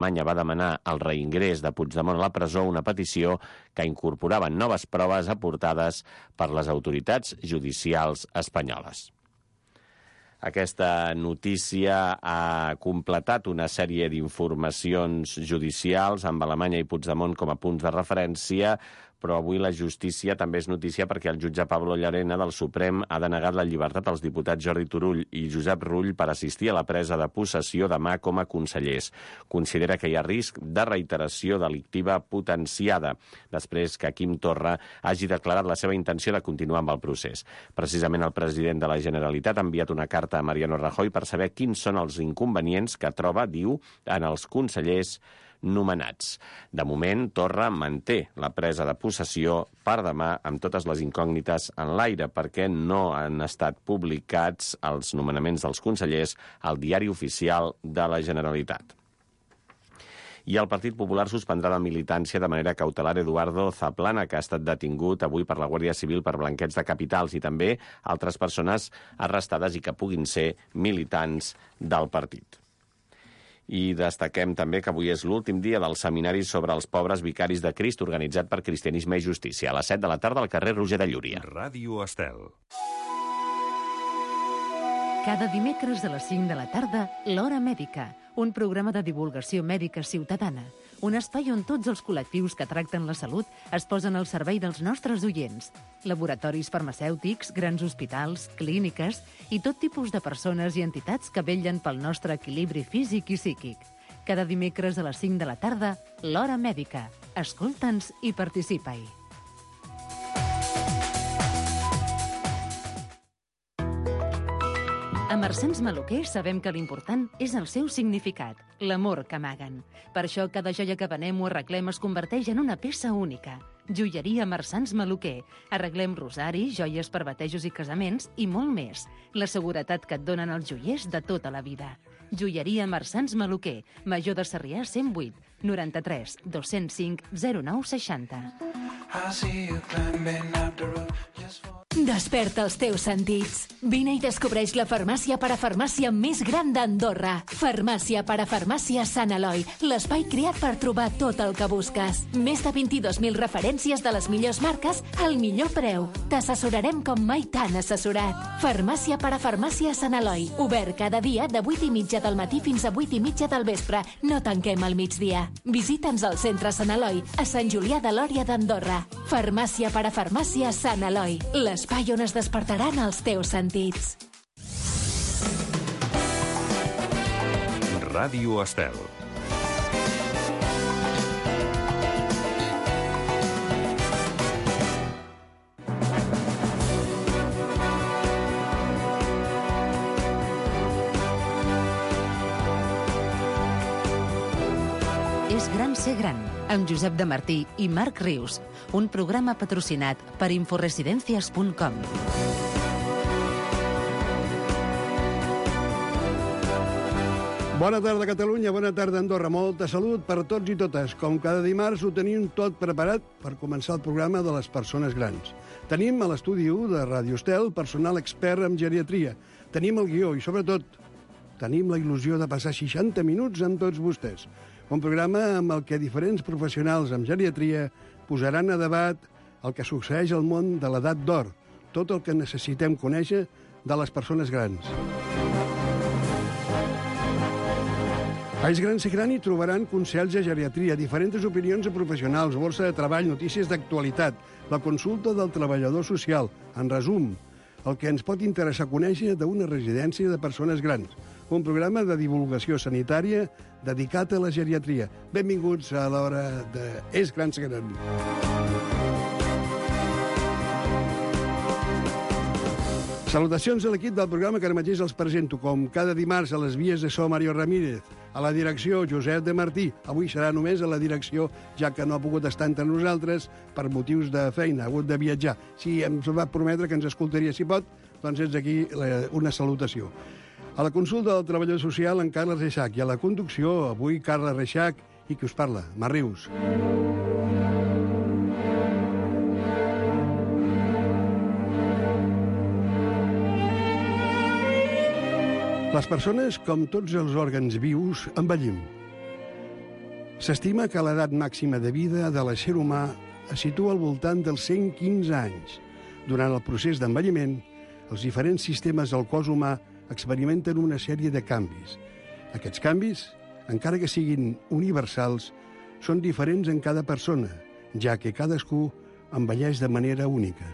Alemanya va demanar el reingrés de Puigdemont a la presó, una petició que incorporava noves proves aportades per les autoritats judicials espanyoles. Aquesta notícia ha completat una sèrie d'informacions judicials amb Alemanya i Puigdemont com a punts de referència, però avui la justícia també és notícia perquè el jutge Pablo Llarena del Suprem ha denegat la llibertat als diputats Jordi Turull i Josep Rull per assistir a la presa de possessió demà com a consellers. Considera que hi ha risc de reiteració delictiva potenciada després que Quim Torra hagi declarat la seva intenció de continuar amb el procés. Precisament el president de la Generalitat ha enviat una carta a Mariano Rajoy per saber quins són els inconvenients que troba, diu, en els consellers nomenats. De moment, Torra manté la presa de possessió per demà amb totes les incògnites en l'aire perquè no han estat publicats els nomenaments dels consellers al Diari Oficial de la Generalitat. I el Partit Popular suspendrà la militància de manera cautelar Eduardo Zaplana, que ha estat detingut avui per la Guàrdia Civil per blanqueig de capitals, i també altres persones arrestades i que puguin ser militants del partit. I destaquem també que avui és l'últim dia del seminari sobre els pobres vicaris de Crist, organitzat per Cristianisme i Justícia, a les 7 de la tarda al carrer Roger de Llúria. Ràdio Estel. Cada dimecres a les 5 de la tarda, l'Hora Mèdica, un programa de divulgació mèdica ciutadana, un espai on tots els col·lectius que tracten la salut es posen al servei dels nostres oients. Laboratoris farmacèutics, grans hospitals, clíniques i tot tipus de persones i entitats que vetllen pel nostre equilibri físic i psíquic. Cada dimecres a les 5 de la tarda, l'Hora Mèdica. Escolta'ns i participa-hi. A Marsans Maluquer sabem que l'important és el seu significat, l'amor que amaguen. Per això cada joia que venem o arreglem es converteix en una peça única. Joieria Marsans Maluquer. Arreglem rosaris, joies per batejos i casaments i molt més. La seguretat que et donen els joiers de tota la vida. Joieria Marsans Maluquer. Major de Sarrià 108 93 205 09 60. Desperta els teus sentits. Vine i descobreix la farmàcia parafarmàcia més gran d'Andorra. Farmàcia parafarmàcia Sant Eloi, l'espai creat per trobar tot el que busques. Més de 22.000 referències de les millors marques al millor preu. T'assessorarem com mai t'han assessorat. Farmàcia parafarmàcia Sant Eloi, obert cada dia de 8:30 del matí fins a 8:30 del vespre. No tanquem al migdia. Visita'ns al centre Sant Eloi, a Sant Julià de Lòria d'Andorra. Farmàcia parafarmàcia Sant Eloi, l'espai on es despertaran els teus sentits. Ràdio Estel. És gran ser gran, amb Josep de Martí i Marc Rius, un programa patrocinat per inforesidencias.com. Bona tarda, Catalunya, bona tarda, Andorra. Molta salut per tots i totes. Com cada dimarts ho tenim tot preparat per començar el programa de les persones grans. Tenim a l'estudi 1 de Ràdio Estel personal expert en geriatria. Tenim el guió i, sobretot, tenim la il·lusió de passar 60 minuts amb tots vostès. Un programa amb el que diferents professionals en geriatria posaran a debat el que succeeix al món de l'edat d'or, tot el que necessitem conèixer de les persones grans. A És Gran Ser Gran hi trobaran consells de geriatria, diferents opinions de professionals, borsa de treball, notícies d'actualitat, la consulta del treballador social. En resum, el que ens pot interessar conèixer d'una residència de persones grans. Un programa de divulgació sanitària dedicat a la geriatria. Benvinguts a l'hora de És Gran Ser Gran. Salutacions a l'equip del programa que ara mateix els presento. Com cada dimarts a les vies de so, Mario Ramírez. A la direcció, Josep de Martí. Avui serà només a la direcció, ja que no ha pogut estar entre nosaltres per motius de feina, ha hagut de viatjar. Si ens va prometre que ens escoltaria si pot, doncs és aquí una salutació. A la consulta del treballador social, en Carles Reixac. I a la conducció, avui, Carles Reixac i qui us parla, Marc Rius. Les persones, com tots els òrgans vius, envellim. S'estima que l'edat màxima de vida de l'ésser humà es situa al voltant dels 115 anys. Durant el procés d'envelliment, els diferents sistemes del cos humà experimenten una sèrie de canvis. Aquests canvis, encara que siguin universals, són diferents en cada persona, ja que cadascú envelleix de manera única.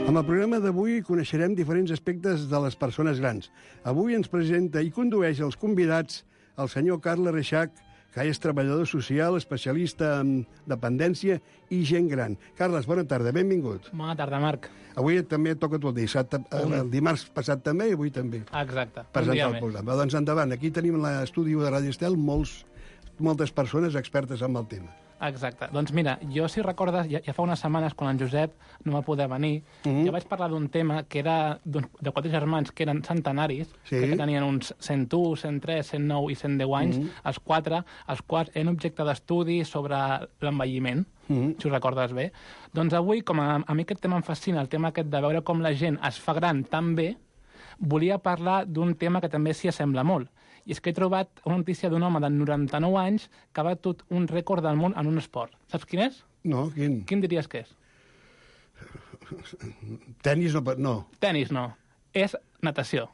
Amb el programa d'avui coneixerem diferents aspectes de les persones grans. Avui ens presenta i condueix els convidats el senyor Carles Reixach, que és treballador social, especialista en dependència i gent gran. Carles, bona tarda, benvingut. Bona tarda, Marc. Avui també toca tot dissabte, el dimarts passat també i avui també. Exacte. Presentar el programa. Doncs endavant, aquí tenim l'estudi de Ràdio Estel moltes persones expertes en el tema. Exacte. Doncs mira, jo, si recordes, ja fa unes setmanes, quan en Josep no va poder venir, jo vaig parlar d'un tema que era de 4 germans que eren centenaris, que tenien uns 101, 103, 109 i 110 anys, els 4, els quals eren objecte d'estudi sobre l'envelliment, si ho recordes bé. Doncs avui, com a mi aquest tema em fascina, el tema aquest de veure com la gent es fa gran tan bé, volia parlar d'un tema que també s'hi assembla molt. I és que he trobat una notícia d'un home de 99 anys que ha batut un rècord del món en un esport. Saps quin és? No, quin? Quin diries que és? Tenis no. Tenis no. És natació.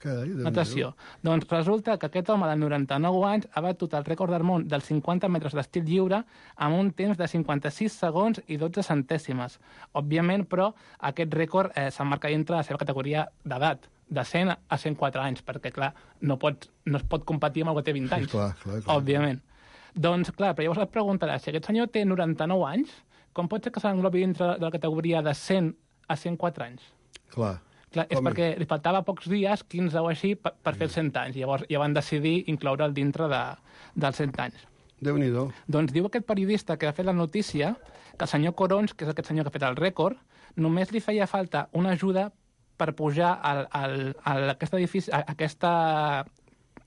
Carai, natació. Doncs resulta que aquest home de 99 anys ha batut el rècord del món dels 50 metres d'estil lliure amb un temps de 56 segons i 12 centèsimes. Òbviament, però, aquest rècord s'emmarca dintre la seva categoria d'edat, de 100 a 104 anys, perquè, clar, no es pot competir amb el que té 20 anys, clar. òbviament. Doncs, clar, però llavors et preguntaràs, si aquest senyor té 99 anys, com pot ser que s'englobi dintre de la categoria de 100 a 104 anys? Clar, és perquè li faltava pocs dies, 15 o així, per fer els 100 anys. Llavors ja van decidir incloure'l dintre dels 100 anys. Déu-n'hi-do. Doncs diu aquest periodista que ha fet la notícia que el senyor Corons, que és aquest senyor que ha fet el rècord, només li feia falta una ajuda per pujar a aquest edifici,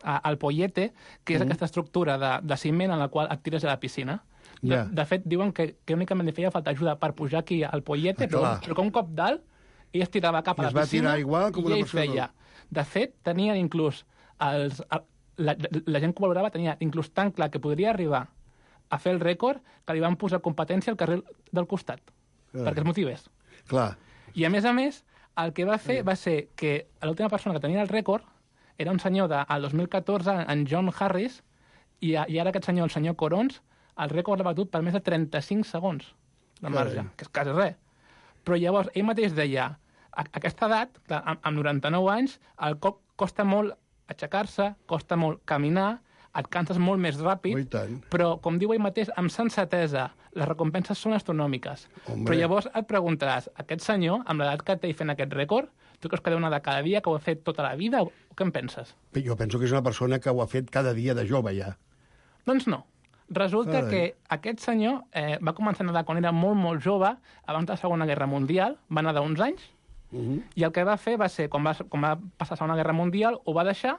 al pollete, que és aquesta estructura de ciment en la qual et tires a la piscina. De fet, diuen que únicament li feia falta ajuda per pujar aquí al pollete, però que un cop dalt ell es tirava cap a la piscina i ell feia. De fet, tenien inclús la gent que valorava tenia inclús tan clar que podria arribar a fer el rècord que li van posar competència al carrer del costat, perquè es motivés. Clar. I a més, el que va fer va ser que l'última persona que tenia el rècord era un senyor del 2014, en John Harris, i ara aquest senyor, el senyor Corons, el rècord l'ha batut per més de 35 segons de marge, que és quasi res. Però llavors ell mateix deia, a aquesta edat, amb 99 anys, el cop costa molt aixecar-se, costa molt caminar, et canses molt més ràpid, però, com diu ell mateix, amb sensatesa, les recompenses són astronòmiques. Però llavors et preguntaràs, aquest senyor, amb l'edat que té fent aquest rècord, tu creus que deu anar de cada dia, que ho ha fet tota la vida, o què en penses? Jo penso que és una persona que ho ha fet cada dia de jove, ja. Doncs no. Resulta que aquest senyor va començar a nedar quan era molt, molt jove, abans de la Segona Guerra Mundial, va nedar uns anys, i el que va fer va ser, quan va passar la Segona Guerra Mundial, ho va deixar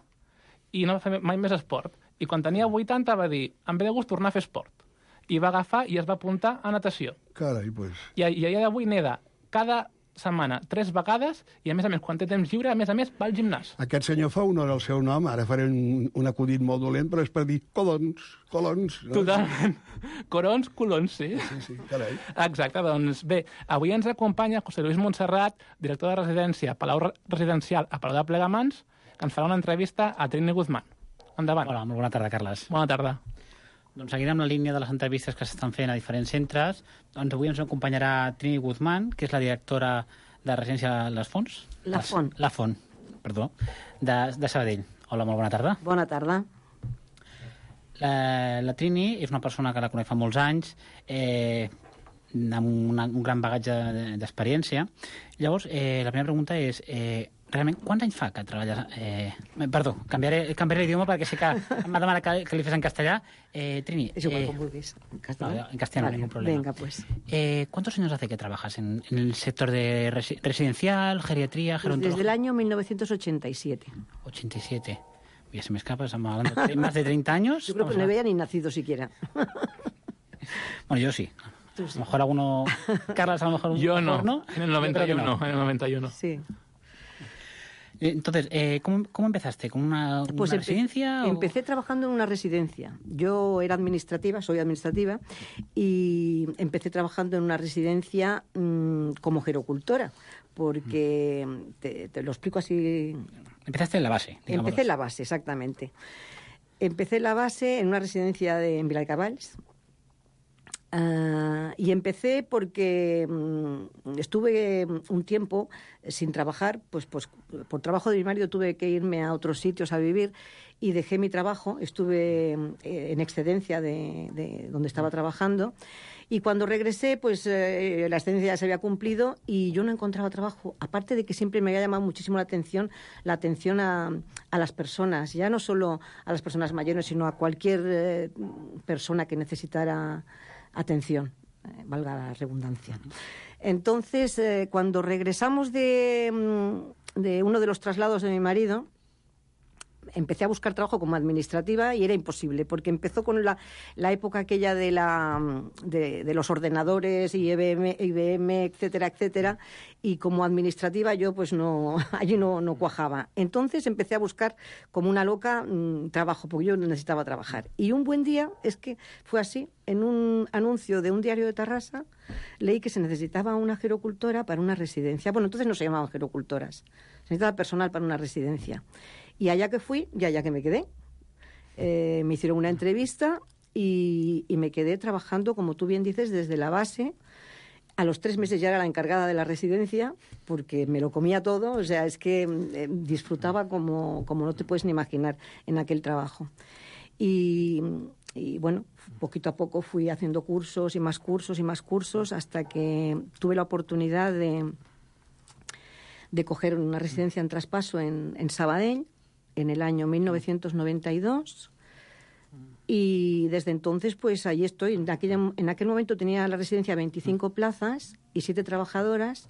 i no va fer mai més esport. I quan tenia 80 va dir, em ve de gust tornar a fer esport. I va agafar i es va apuntar a natació. Carai, doncs. I a dia d'avui neda cada setmana 3 vegades i, a més, quan té temps lliure, a més, va al gimnàs. Aquest senyor fa honor al seu nom, ara faré un acudit molt dolent, però és per dir colons. No? Totalment. Colons, sí. Sí, carai. Exacte, doncs bé, avui ens acompanya José Luis Montserrat, director de residència Palau Residencial a Palau de Plegamans, que ens farà una entrevista a Trini Guzmán. Endavant. Hola, molt bona tarda, Carles. Bona tarda. Doncs seguint amb la línia de les entrevistes que s'estan fent a diferents centres, doncs avui ens acompanyarà Trini Guzmán, que és la directora de residència Les Fonts. La Font, perdó, de Sabadell. Hola, molt bona tarda. Bona tarda. La Trini és una persona que la conec fa molts anys, amb un gran bagatge d'experiència. Llavors, la primera pregunta és... realment, quants anys fa que treballes... Perdó, canviaré l'idioma perquè sé que m'ha demanat que li fes en castellà. Trini... És igual, com vulguis. En castellano, vale, ningún problema. Venga, pues. ¿Cuántos años hace que trabajas en el sector de residencial, geriatría, gerontología? Desde el año 1987. 87. Ya se me escapa, estamos hablando de más de 30 años. Yo creo que no había ni nacido siquiera. Bueno, yo sí. Esto sí. A lo mejor alguno... Carlas, a lo mejor... Yo no, ¿no? en el 91, No. en el 91. Sí. Entonces, ¿cómo empezaste? ¿Con una residencia? Empecé trabajando en una residencia. Yo era administrativa, soy administrativa, y empecé trabajando en una residencia como gerocultora, porque te lo explico así. Empezaste en la base, digámoslo. Empecé en la base, exactamente. Empecé en la base en una residencia en Viladecavalls. Y empecé porque estuve un tiempo sin trabajar, pues por trabajo de mi marido tuve que irme a otros sitios a vivir y dejé mi trabajo, estuve en excedencia de donde estaba trabajando y cuando regresé pues la excedencia ya se había cumplido y yo no encontraba trabajo, aparte de que siempre me había llamado muchísimo la atención a las personas, ya no solo a las personas mayores, sino a cualquier persona que necesitara atención, valga la redundancia. Entonces, cuando regresamos de uno de los traslados de mi marido, empecé a buscar trabajo como administrativa y era imposible, porque empezó con la época aquella de los ordenadores y IBM, etcétera, etcétera, y como administrativa yo pues allí no cuajaba. Entonces empecé a buscar como una loca trabajo, porque yo necesitaba trabajar. Y un buen día, es que fue así, en un anuncio de un diario de Tarrasa, leí que se necesitaba una gerocultora para una residencia. Bueno, entonces no se llamaban gerocultoras, se necesitaba personal para una residencia. Y allá que fui y allá que me quedé. Me hicieron una entrevista y me quedé trabajando, como tú bien dices, desde la base. A los 3 meses ya era la encargada de la residencia, porque me lo comía todo. O sea, es que disfrutaba como no te puedes ni imaginar en aquel trabajo. Y bueno, poquito a poco fui haciendo cursos y más cursos y más cursos hasta que tuve la oportunidad de coger una residencia en traspaso en Sabadell en el año 1992 y desde entonces pues allí estoy. En aquel momento tenía la residencia 25 plazas y 7 trabajadoras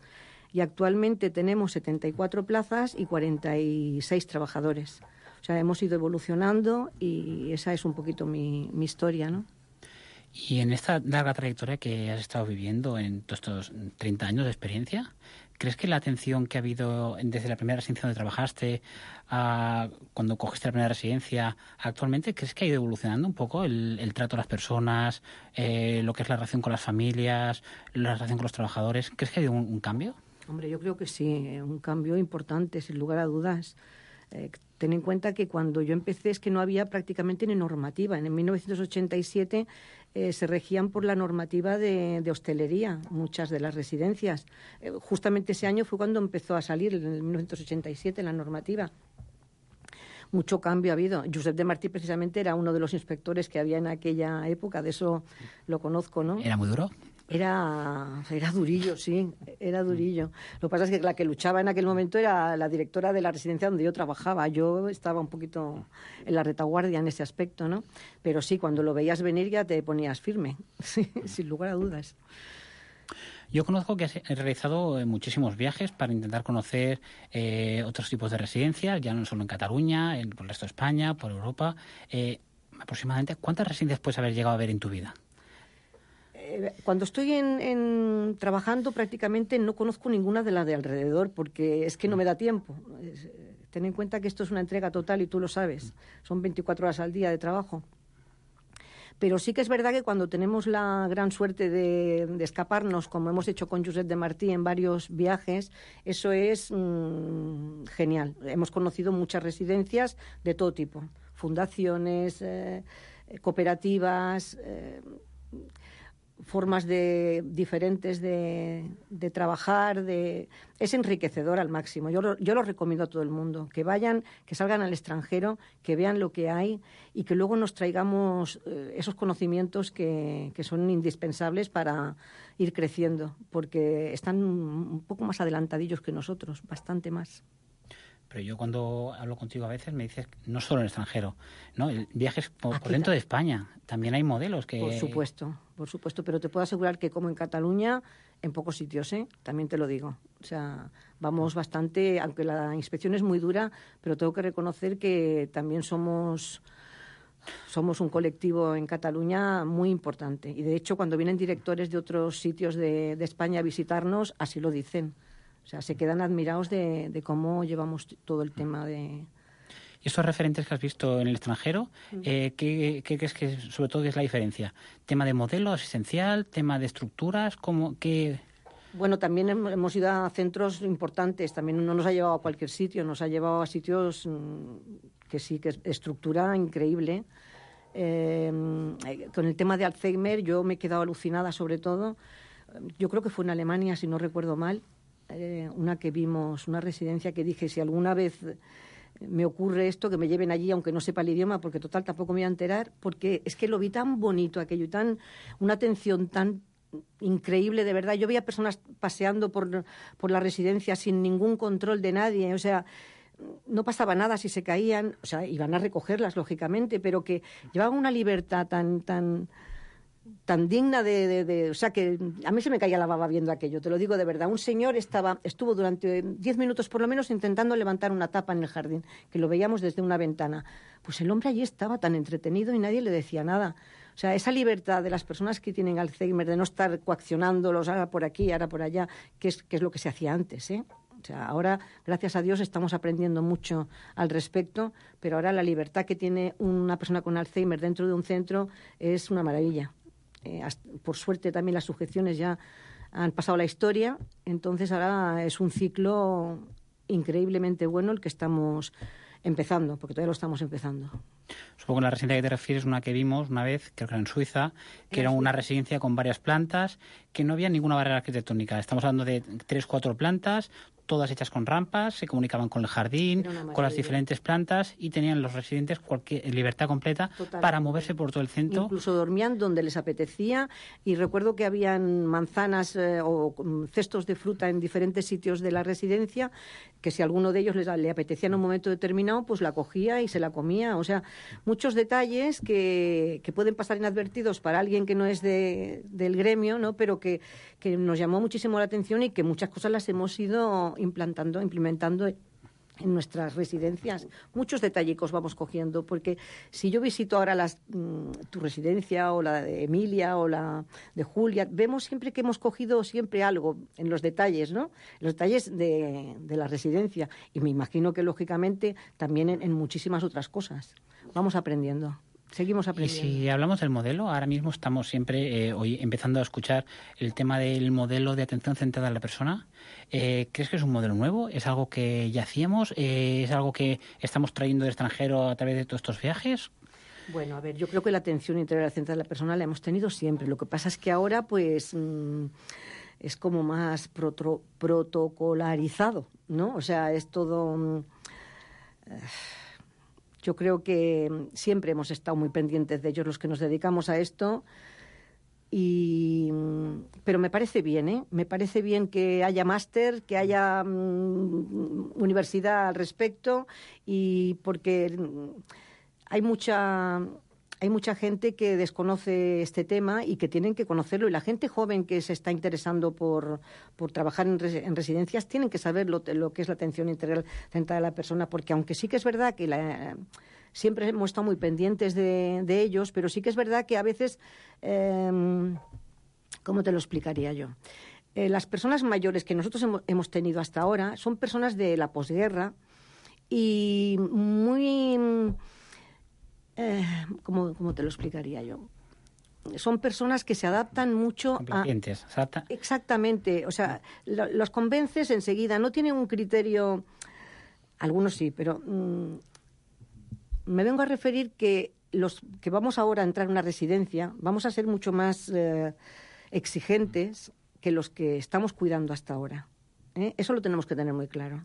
y actualmente tenemos 74 plazas y 46 trabajadores. O sea, hemos ido evolucionando y esa es un poquito mi historia, ¿no? Y en esta larga trayectoria que has estado viviendo en todos estos 30 años de experiencia, ¿crees que la atención que ha habido desde la primera residencia donde trabajaste a cuando cogiste la primera residencia actualmente, crees que ha ido evolucionando un poco el trato a las personas, lo que es la relación con las familias, la relación con los trabajadores? ¿Crees que ha habido un cambio? Hombre, yo creo que sí, un cambio importante, sin lugar a dudas. Ten en cuenta que cuando yo empecé es que no había prácticamente ni normativa. En 1987 se regían por la normativa de hostelería, muchas de las residencias. Justamente ese año fue cuando empezó a salir, en 1987, la normativa. Mucho cambio ha habido. Josep de Martí precisamente era uno de los inspectores que había en aquella época, de eso lo conozco, ¿no? ¿Era muy duro? Era durillo, sí, era durillo. Lo que pasa es que la que luchaba en aquel momento era la directora de la residencia donde yo trabajaba. Yo estaba un poquito en la retaguardia en ese aspecto, ¿no? Pero sí, cuando lo veías venir ya te ponías firme, sí, sin lugar a dudas. Yo conozco que has realizado muchísimos viajes para intentar conocer otros tipos de residencias, ya no solo en Cataluña, por el resto de España, por Europa. Aproximadamente, ¿cuántas residencias puedes haber llegado a ver en tu vida? Cuando estoy trabajando prácticamente no conozco ninguna de las de alrededor porque es que no me da tiempo. Ten en cuenta que esto es una entrega total y tú lo sabes. Son 24 horas al día de trabajo. Pero sí que es verdad que cuando tenemos la gran suerte de escaparnos, como hemos hecho con Josep de Martí en varios viajes, eso es genial. Hemos conocido muchas residencias de todo tipo, fundaciones, cooperativas, formas diferentes de trabajar, es enriquecedor al máximo. Yo lo recomiendo a todo el mundo, que vayan, que salgan al extranjero, que vean lo que hay y que luego nos traigamos esos conocimientos que son indispensables para ir creciendo, porque están un poco más adelantadillos que nosotros, bastante más. Pero yo cuando hablo contigo a veces me dices, no solo en el extranjero, ¿no? Viajes por dentro de España. También hay modelos que... Por supuesto, pero te puedo asegurar que como en Cataluña, en pocos sitios, también te lo digo. O sea, vamos bastante, aunque la inspección es muy dura, pero tengo que reconocer que también somos Somos un colectivo en Cataluña muy importante. Y, de hecho, cuando vienen directores de otros sitios de España a visitarnos, así lo dicen. O sea, se quedan admirados de cómo llevamos todo el tema de... ¿Y estos referentes que has visto en el extranjero, qué crees que sobre todo es la diferencia? ¿Tema de modelo asistencial? ¿Tema de estructuras? ¿Qué...? Bueno, también hemos ido a centros importantes. También no nos ha llevado a cualquier sitio, nos ha llevado a sitios que sí, que es estructura increíble. Con el tema de Alzheimer yo me he quedado alucinada, sobre todo. Yo creo que fue en Alemania, si no recuerdo mal, una que vimos, una residencia que dije, si alguna vez me ocurre esto, que me lleven allí, aunque no sepa el idioma, porque total tampoco me voy a enterar, porque es que lo vi tan bonito aquello, una atención tan increíble, de verdad. Yo veía personas paseando por la residencia sin ningún control de nadie, o sea, no pasaba nada si se caían, o sea, iban a recogerlas, lógicamente, pero que llevaban una libertad tan digna o sea, que a mí se me caía la baba viendo aquello, te lo digo de verdad. Un señor estuvo durante 10 minutos por lo menos intentando levantar una tapa en el jardín, que lo veíamos desde una ventana. Pues el hombre allí estaba tan entretenido y nadie le decía nada. O sea, esa libertad de las personas que tienen Alzheimer, de no estar coaccionándolos ahora por aquí, ahora por allá, que es lo que se hacía antes, ¿eh? O sea, ahora, gracias a Dios, estamos aprendiendo mucho al respecto, pero ahora la libertad que tiene una persona con Alzheimer dentro de un centro es una maravilla. Por suerte también las sujeciones ya han pasado a la historia, entonces ahora es un ciclo increíblemente bueno el que estamos empezando, porque todavía lo estamos empezando. Supongo que la residencia que te refieres es una que vimos una vez, creo que era en Suiza, que era una residencia con varias plantas, que no había ninguna barrera arquitectónica. Estamos hablando de 3-4 plantas, todas hechas con rampas, se comunicaban con el jardín, con las diferentes plantas y tenían los residentes libertad completa para moverse por todo el centro. Incluso dormían donde les apetecía y recuerdo que habían manzanas o cestos de fruta en diferentes sitios de la residencia que si a alguno de ellos le apetecía en un momento determinado, pues la cogía y se la comía. O sea, muchos detalles que pueden pasar inadvertidos para alguien que no es del gremio, ¿no? Pero que nos llamó muchísimo la atención y que muchas cosas las hemos ido implementando en nuestras residencias. Muchos detallicos vamos cogiendo, porque si yo visito ahora tu residencia o la de Emilia o la de Julia, vemos siempre que hemos cogido siempre algo en los detalles, ¿no? Los detalles de la residencia. Y me imagino que, lógicamente, también en muchísimas otras cosas. Vamos aprendiendo. Seguimos aprendiendo. Y si hablamos del modelo, ahora mismo estamos siempre hoy empezando a escuchar el tema del modelo de atención centrada en la persona. ¿Crees que es un modelo nuevo? ¿Es algo que ya hacíamos? ¿Es algo que estamos trayendo del extranjero a través de todos estos viajes? Bueno, a ver, yo creo que la atención integral centrada en la persona la hemos tenido siempre. Lo que pasa es que ahora, pues, es como más protocolarizado, ¿no? O sea, es todo... Yo creo que siempre hemos estado muy pendientes de ellos los que nos dedicamos a esto, pero me parece bien, ¿eh? Me parece bien que haya máster, que haya universidad al respecto, y porque hay mucha gente que desconoce este tema y que tienen que conocerlo, y la gente joven que se está interesando por trabajar en residencias tienen que saber lo que es la atención integral centrada a la persona, porque aunque sí que es verdad que siempre hemos estado muy pendientes de ellos, pero sí que es verdad que a veces, ¿cómo te lo explicaría yo? Las personas mayores que nosotros hemos tenido hasta ahora son personas de la posguerra y muy... ¿cómo te lo explicaría yo? Son personas que se adaptan mucho complacientes, exactamente, o sea, los convences enseguida, no tienen un criterio, algunos sí, pero me vengo a referir que los que vamos ahora a entrar en una residencia vamos a ser mucho más exigentes que los que estamos cuidando hasta ahora, ¿eh? Eso lo tenemos que tener muy claro.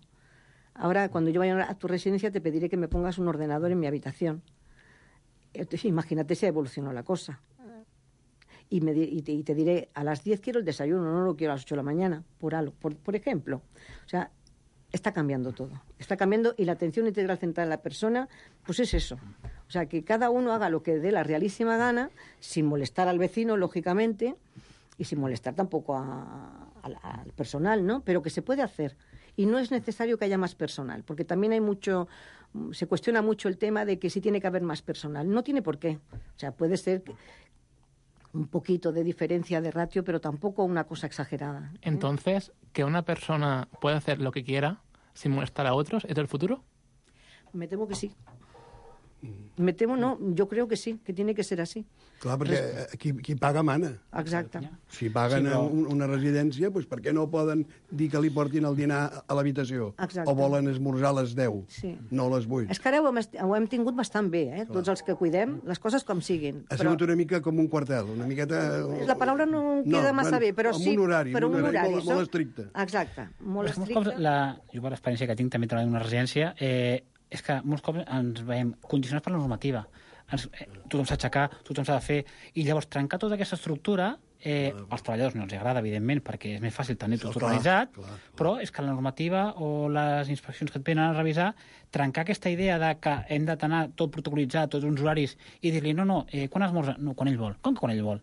Ahora, cuando yo vaya a tu residencia, te pediré que me pongas un ordenador en mi habitación. Imagínate si ha evolucionado la cosa. Y te diré, a las 10 quiero el desayuno, no lo quiero a las 8 de la mañana, por ejemplo. O sea, está cambiando todo. Está cambiando, y la atención integral centrada en la persona, pues es eso. O sea, que cada uno haga lo que dé la realísima gana, sin molestar al vecino, lógicamente, y sin molestar tampoco al personal, ¿no? Pero que se puede hacer. Y no es necesario que haya más personal, porque también hay mucho se cuestiona mucho el tema de que sí tiene que haber más personal. No tiene por qué. O sea, puede ser un poquito de diferencia de ratio, pero tampoco una cosa exagerada. Entonces, ¿que una persona pueda hacer lo que quiera sin molestar a otros es el futuro? Me temo que sí. Me temo, no, jo crec que sí, que tiene que ser així. Clar, perquè qui paga mana. Exacte. Si paguen una residència, doncs per què no poden dir que li portin el dinar a l'habitació? Exacte. O volen esmorzar a les 10, no a les 8? És que ara ho hem tingut bastant bé, tots els que cuidem, les coses com siguin. Ha sigut una mica com un quartel, una miqueta... La paraula no queda massa bé, però sí... Amb un horari molt estricte. Exacte, molt estricte. Jo, per l'experiència que tinc, també treballant en una residència, és que molts cops ens veiem condicionats per la normativa. Tothom s'ha d'aixecar, tothom s'ha de fer, i llavors trencar tota aquesta estructura, als treballadors no els agrada, evidentment, perquè és més fàcil tenir tot organitzat, però és que la normativa o les inspeccions que et venen a revisar, trencar aquesta idea de que hem de tenir tot protocolitzat, tots uns horaris, i dir-li, no, quan esmorza? No, quan ell vol. Com que quan ell vol?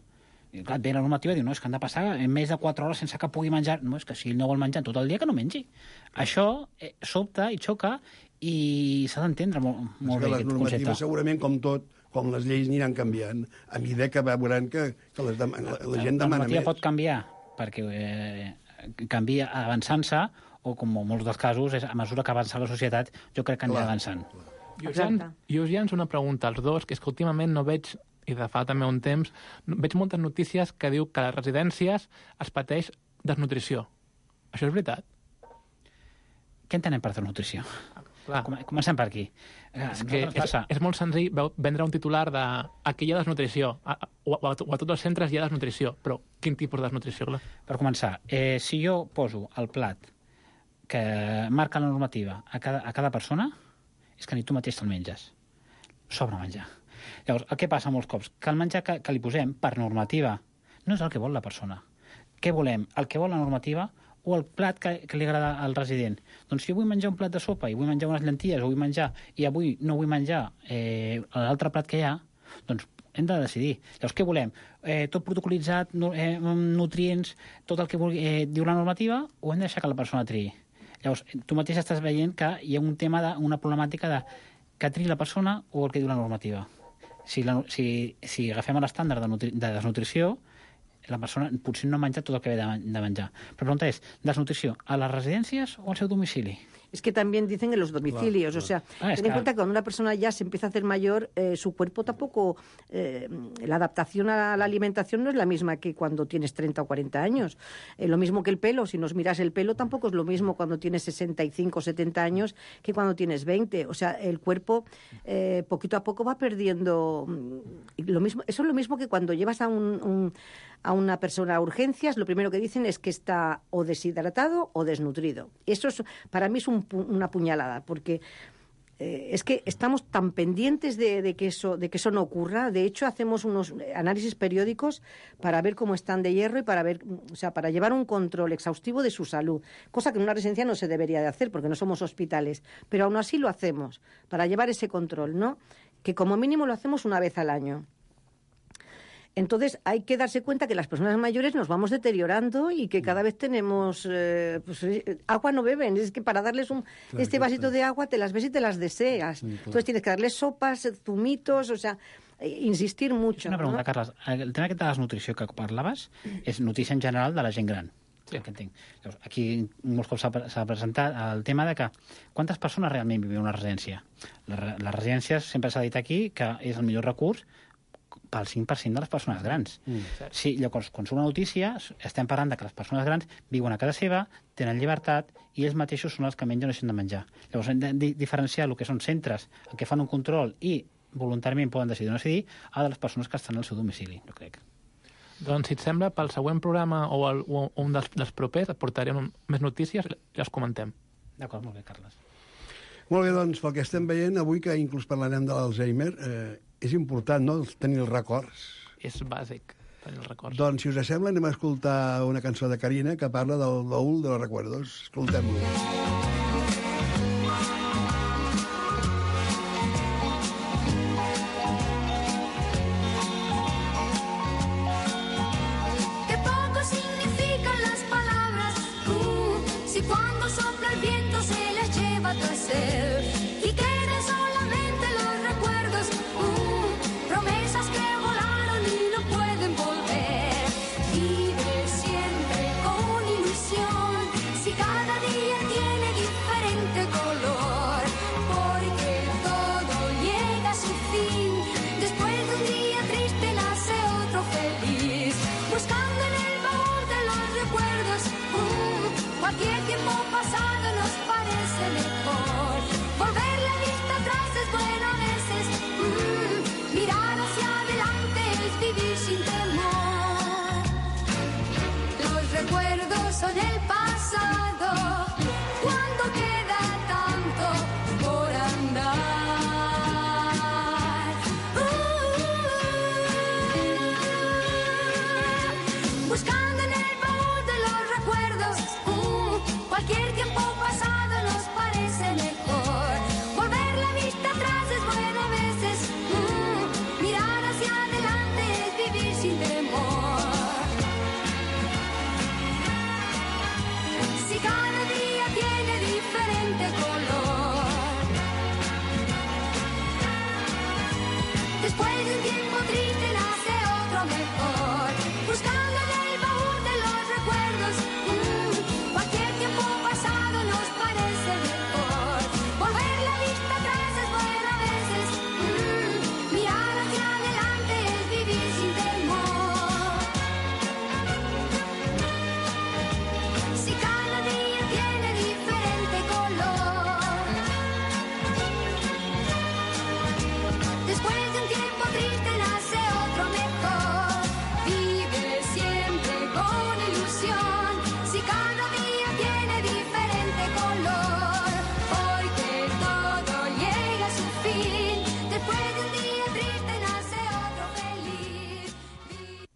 I clar, et ve la normativa i diu, no, és que han de passar més de 4 hores sense que pugui menjar. No, és que si ell no vol menjar tot el dia, que no mengi. Això sobta i xoca i s'ha d'entendre molt bé les aquest normatives, concepte. Segurament, com tot, com les lleis aniran canviant, a mesura que veuran que la gent demana més. La normativa pot canviar, perquè canvia avançant-se, o com en molts dels casos, a mesura que avança la societat, jo crec que anirà avançant. I us llanço una pregunta als dos, que és que últimament no veig, i de fa també un temps, veig moltes notícies que diu que a les residències es pateix desnutrició. Això és veritat? Què entenem per desnutrició? Clar. Comencem per aquí. És molt senzill vendre un titular de aquí hi ha desnutrició, o a tots els centres hi ha desnutrició, però quin tipus de desnutrició? Clar? Per començar, si jo poso el plat que marca la normativa a cada persona, és que ni tu mateix te'l menges. Sobra menjar. Llavors, el que passa molts cops? Que el menjar que li posem per normativa no és el que vol la persona. Què volem? El que vol la normativa o el plat que li agrada al resident? Doncs si jo vull menjar un plat de sopa i vull menjar unes llenties o vull menjar i avui no vull menjar l'altre plat que hi ha, doncs hem de decidir. Llavors, què volem? Tot protocolitzat, nutrients, tot el que diu la normativa, o hem de deixar que la persona triï? Llavors, tu mateix estàs veient que hi ha un tema, una problemàtica de que triï la persona o el que diu la normativa. Si agafem l'estàndard de desnutrició, la persona potser no ha menjat tot el que ve de menjar. Però la pregunta és, desnutrició a les residències o al seu domicili? Es que también dicen en los domicilios, o sea, ten en cuenta que cuando una persona ya se empieza a hacer mayor, su cuerpo tampoco, la adaptación a la alimentación no es la misma que cuando tienes 30 o 40 años. Lo mismo que el pelo, si nos miras el pelo, tampoco es lo mismo cuando tienes 65 o 70 años que cuando tienes 20. O sea, el cuerpo poquito a poco va perdiendo lo mismo. Eso es lo mismo que cuando llevas a una persona a urgencias, lo primero que dicen es que está o deshidratado o desnutrido. Eso es, para mí es una puñalada, porque es que estamos tan pendientes de que eso no ocurra. De hecho, hacemos unos análisis periódicos para ver cómo están de hierro y para llevar un control exhaustivo de su salud, cosa que en una residencia no se debería de hacer porque no somos hospitales, pero aún así lo hacemos para llevar ese control, ¿no? Que como mínimo lo hacemos una vez al año. Entonces hay que darse cuenta que las personas mayores nos vamos deteriorando y que cada vez tenemos... agua no beben, es que para darles este vasito de agua te las ves y te las deseas. Entonces tienes que darles sopas, zumitos, o sea, insistir mucho. Una pregunta, ¿no? Carles. El tema aquest de desnutrició que parlaves és notícia en general de la gent gran. Sí. Que entenc. Llavors, aquí molts cops s'ha presentat el tema de que quantes persones realment viuen en una residència. Les residències sempre s'ha dit aquí que és el millor recurs pel 5% de les persones grans. Sí, llavors, quan surt una notícia, estem parlant de que les persones grans viuen a casa seva, tenen llibertat, i ells mateixos són els que menys deixen de menjar. Llavors, hem de diferenciar el que són centres en què fan un control i voluntàriament poden decidir o no decidir, a de les persones que estan al seu domicili, jo crec. Doncs, si et sembla, pel següent programa o un dels propers et portarem més notícies i les comentem. D'acord, molt bé, Carles. Molt bé, doncs, pel que estem veient, avui que inclús parlarem de l'Alzheimer, és important, no?, tenir els records. És bàsic, tenir els records. Doncs, si us sembla, anem a escoltar una cançó de Carina que parla del baúl de los recuerdos. Escoltem-lo. Qué poco significan las palabras, si cuando sopla el viento se les lleva tu ser y quieres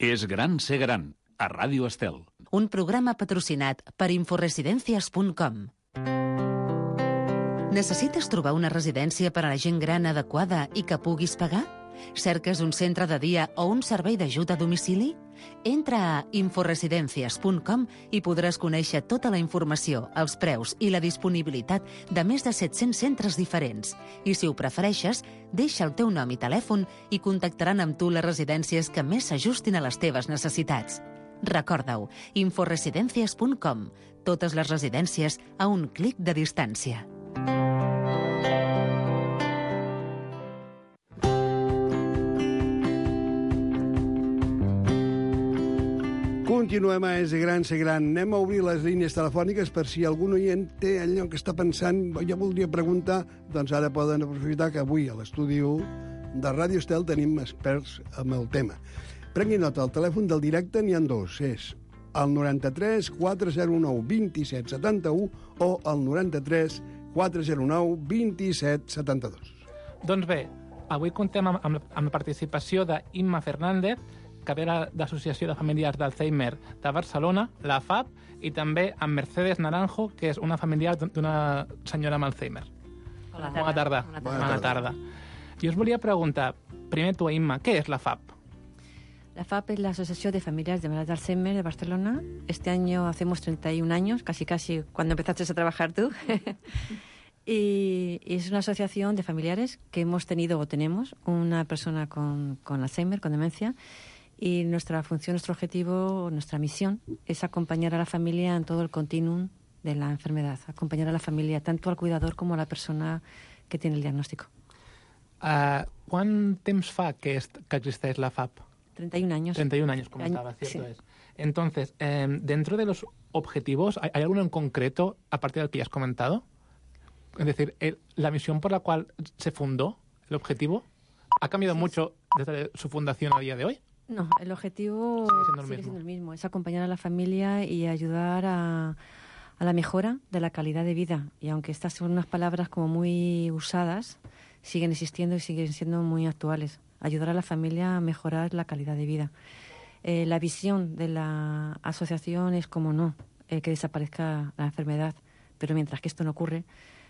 És gran ser gran, a Ràdio Estel. Un programa patrocinat per inforesidencias.com. Necessites trobar una residència per a la gent gran adequada i que puguis pagar? Cerques un centre de dia o un servei d'ajut a domicili? Entra a inforesidencias.com i podràs conèixer tota la informació, els preus i la disponibilitat de més de 700 centres diferents. I si ho prefereixes, deixa el teu nom i telèfon i contactaran amb tu les residències que més s'ajustin a les teves necessitats. Recorda-ho, inforesidencias.com. Totes les residències a un clic de distància. Continuem a És Gran, Ser Gran. Anem a obrir les línies telefòniques per si algun oient té allò que està pensant. Jo voldria preguntar, doncs ara poden aprofitar que avui a l'estudi 1 de Ràdio Estel tenim experts amb el tema. Prengui nota, el telèfon del directe n'hi ha dos. És el 93 409 27 71 o el 93 409 27 72. Doncs bé, avui contem amb la participació d'Imma Fernández, que ve de l'Associació de Familiars d'Alzheimer de Barcelona, la FAB, i també amb Mercedes Naranjo, que és una familiar d'una senyora amb Alzheimer. Bona tarda. Bona tarda. Jo us volia preguntar, primer tu, Imma, què és la FAB? La FAB es la Asociación de Familiares de Enfermedad de Alzheimer de Barcelona. Este año hacemos 31 años, casi cuando empezaste a trabajar tú. Y es una asociación de familiares que hemos tenido o tenemos una persona con Alzheimer, con demencia. Y nuestra función, nuestro objetivo, nuestra misión es acompañar a la familia en todo el continuum de la enfermedad. Acompañar a la familia, tanto al cuidador como a la persona que tiene el diagnóstico. ¿Cuán temps fa que existeix la FAB? 31 años. 31 años, comentaba, cierto sí. Es. Entonces, dentro de los objetivos, ¿hay alguno en concreto, a partir del que ya has comentado? Es decir, la misión por la cual se fundó, el objetivo, ¿ha cambiado mucho desde su fundación a día de hoy? No, el objetivo sigue siendo el mismo. Es acompañar a la familia y ayudar a la mejora de la calidad de vida. Y aunque estas son unas palabras como muy usadas, siguen existiendo y siguen siendo muy actuales. Ayudar a la familia a mejorar la calidad de vida. La visión de la asociación es, como no, que desaparezca la enfermedad. Pero mientras que esto no ocurre,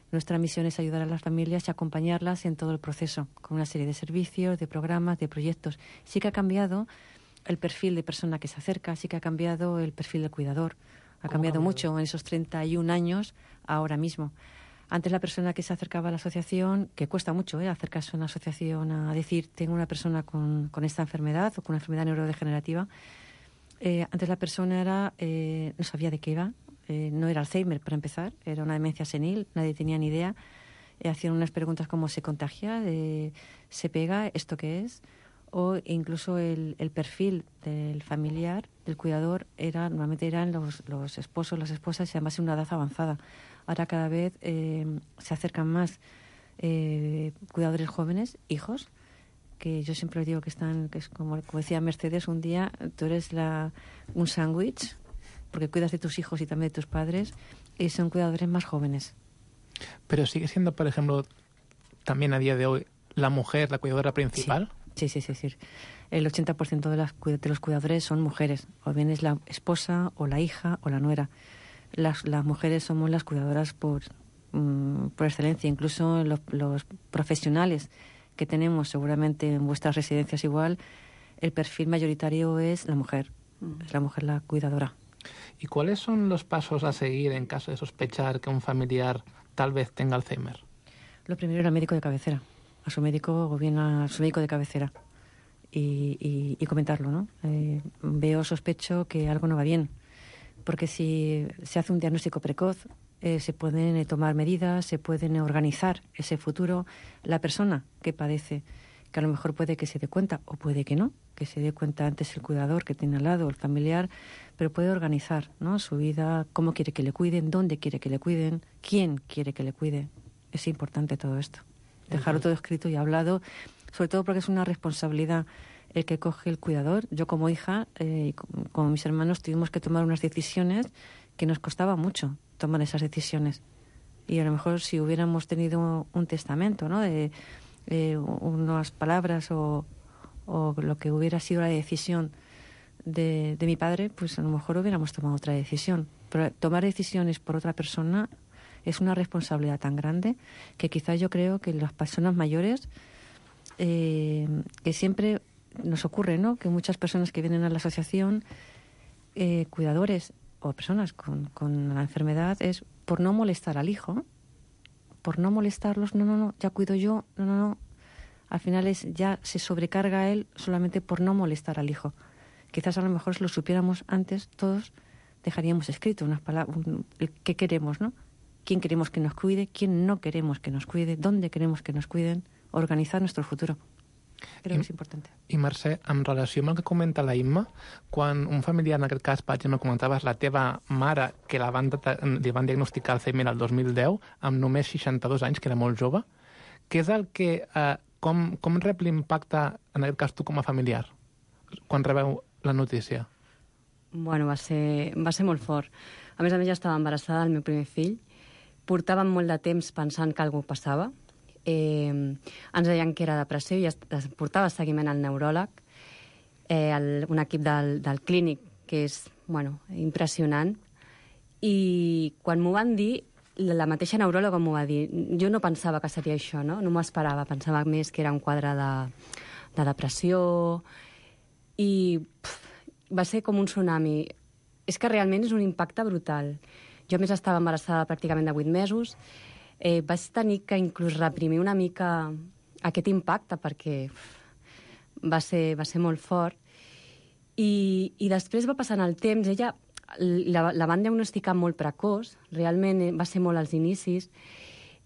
nuestra misión es ayudar a las familias y acompañarlas en todo el proceso, con una serie de servicios, de programas, de proyectos. Sí que ha cambiado el perfil de persona que se acerca, sí que ha cambiado el perfil del cuidador. Ha cambiado mucho en esos 31 años ahora mismo. Antes la persona que se acercaba a la asociación, que cuesta mucho acercarse a una asociación a decir tengo una persona con esta enfermedad o con una enfermedad neurodegenerativa, antes la persona no sabía de qué iba. No era Alzheimer, para empezar, era una demencia senil, nadie tenía ni idea. Hacían unas preguntas como ¿se contagia? ¿Se pega? ¿Esto qué es? O incluso el perfil del familiar, del cuidador, normalmente eran los esposos, las esposas, y además en una edad avanzada. Ahora cada vez se acercan más cuidadores jóvenes, hijos, que yo siempre digo que es como decía Mercedes un día, tú eres un sándwich, porque cuidas de tus hijos y también de tus padres, y son cuidadores más jóvenes. Pero sigue siendo, por ejemplo, también a día de hoy, la mujer la cuidadora principal. Sí. El 80% de los cuidadores son mujeres, o bien es la esposa, o la hija, o la nuera. Las mujeres somos las cuidadoras por excelencia. Incluso los profesionales que tenemos, seguramente en vuestras residencias igual, el perfil mayoritario es la mujer. Es la mujer la cuidadora. ¿Y cuáles son los pasos a seguir en caso de sospechar que un familiar tal vez tenga Alzheimer? Lo primero era al médico de cabecera, a su médico o bien a su médico de cabecera y comentarlo, ¿no? Sospecho que algo no va bien, porque si se hace un diagnóstico precoz, se pueden tomar medidas, se pueden organizar ese futuro. La persona que padece, que a lo mejor puede que se dé cuenta o puede que no, que se dé cuenta antes el cuidador que tiene al lado, el familiar, pero puede organizar, ¿no?, su vida, cómo quiere que le cuiden, dónde quiere que le cuiden, quién quiere que le cuide. Es importante todo esto. Dejarlo todo escrito y hablado, sobre todo porque es una responsabilidad el que coge el cuidador. Yo como hija, como mis hermanos, tuvimos que tomar unas decisiones que nos costaba mucho tomar esas decisiones. Y a lo mejor si hubiéramos tenido un testamento, ¿no?, de unas palabras o lo que hubiera sido la decisión de mi padre, pues a lo mejor hubiéramos tomado otra decisión. Pero tomar decisiones por otra persona es una responsabilidad tan grande que quizás yo creo que las personas mayores, que siempre nos ocurre, ¿no?, que muchas personas que vienen a la asociación, cuidadores o personas con la enfermedad, es por no molestar al hijo, por no molestarlos, no, ya cuido yo, no. Al final ya se sobrecarga a él solamente por no molestar al hijo. Quizás a lo mejor si lo supiéramos antes, todos dejaríamos escrito unas palabras, qué queremos, ¿no? Quién queremos que nos cuide, quién no queremos que nos cuide, dónde queremos que nos cuiden, organizar nuestro futuro. Creo que és important. I Mercè, en relació amb el que comenta la Imma, quan un familiar, en aquest cas, per exemple, comentaves la teva mare, que li van diagnosticar Alzheimer el 2010, amb només 62 anys, que era molt jove, què és el que... Com rep l'impacte, en aquest cas, tu com a familiar, quan rebeu la notícia? Bueno, va ser molt fort. A més, ja estava embarassada del meu primer fill. Portàvem molt de temps pensant que alguna cosa passava. Ens deien que era depressió i es portava seguiment al neuròleg, un equip del clínic que és impressionant, i quan m'ho van dir, la mateixa neuròloga m'ho va dir. Jo no pensava que seria això, no m'ho esperava, pensava més que era un quadre de depressió, i va ser com un tsunami. És que realment és un impacte brutal. Jo, a més, estava embarassada pràcticament de 8 mesos, vaig tenir que inclús reprimir una mica aquest impacte perquè va ser molt fort. I després va passant el temps. Ella la van diagnosticar molt precoç, realment va ser molt als inicis.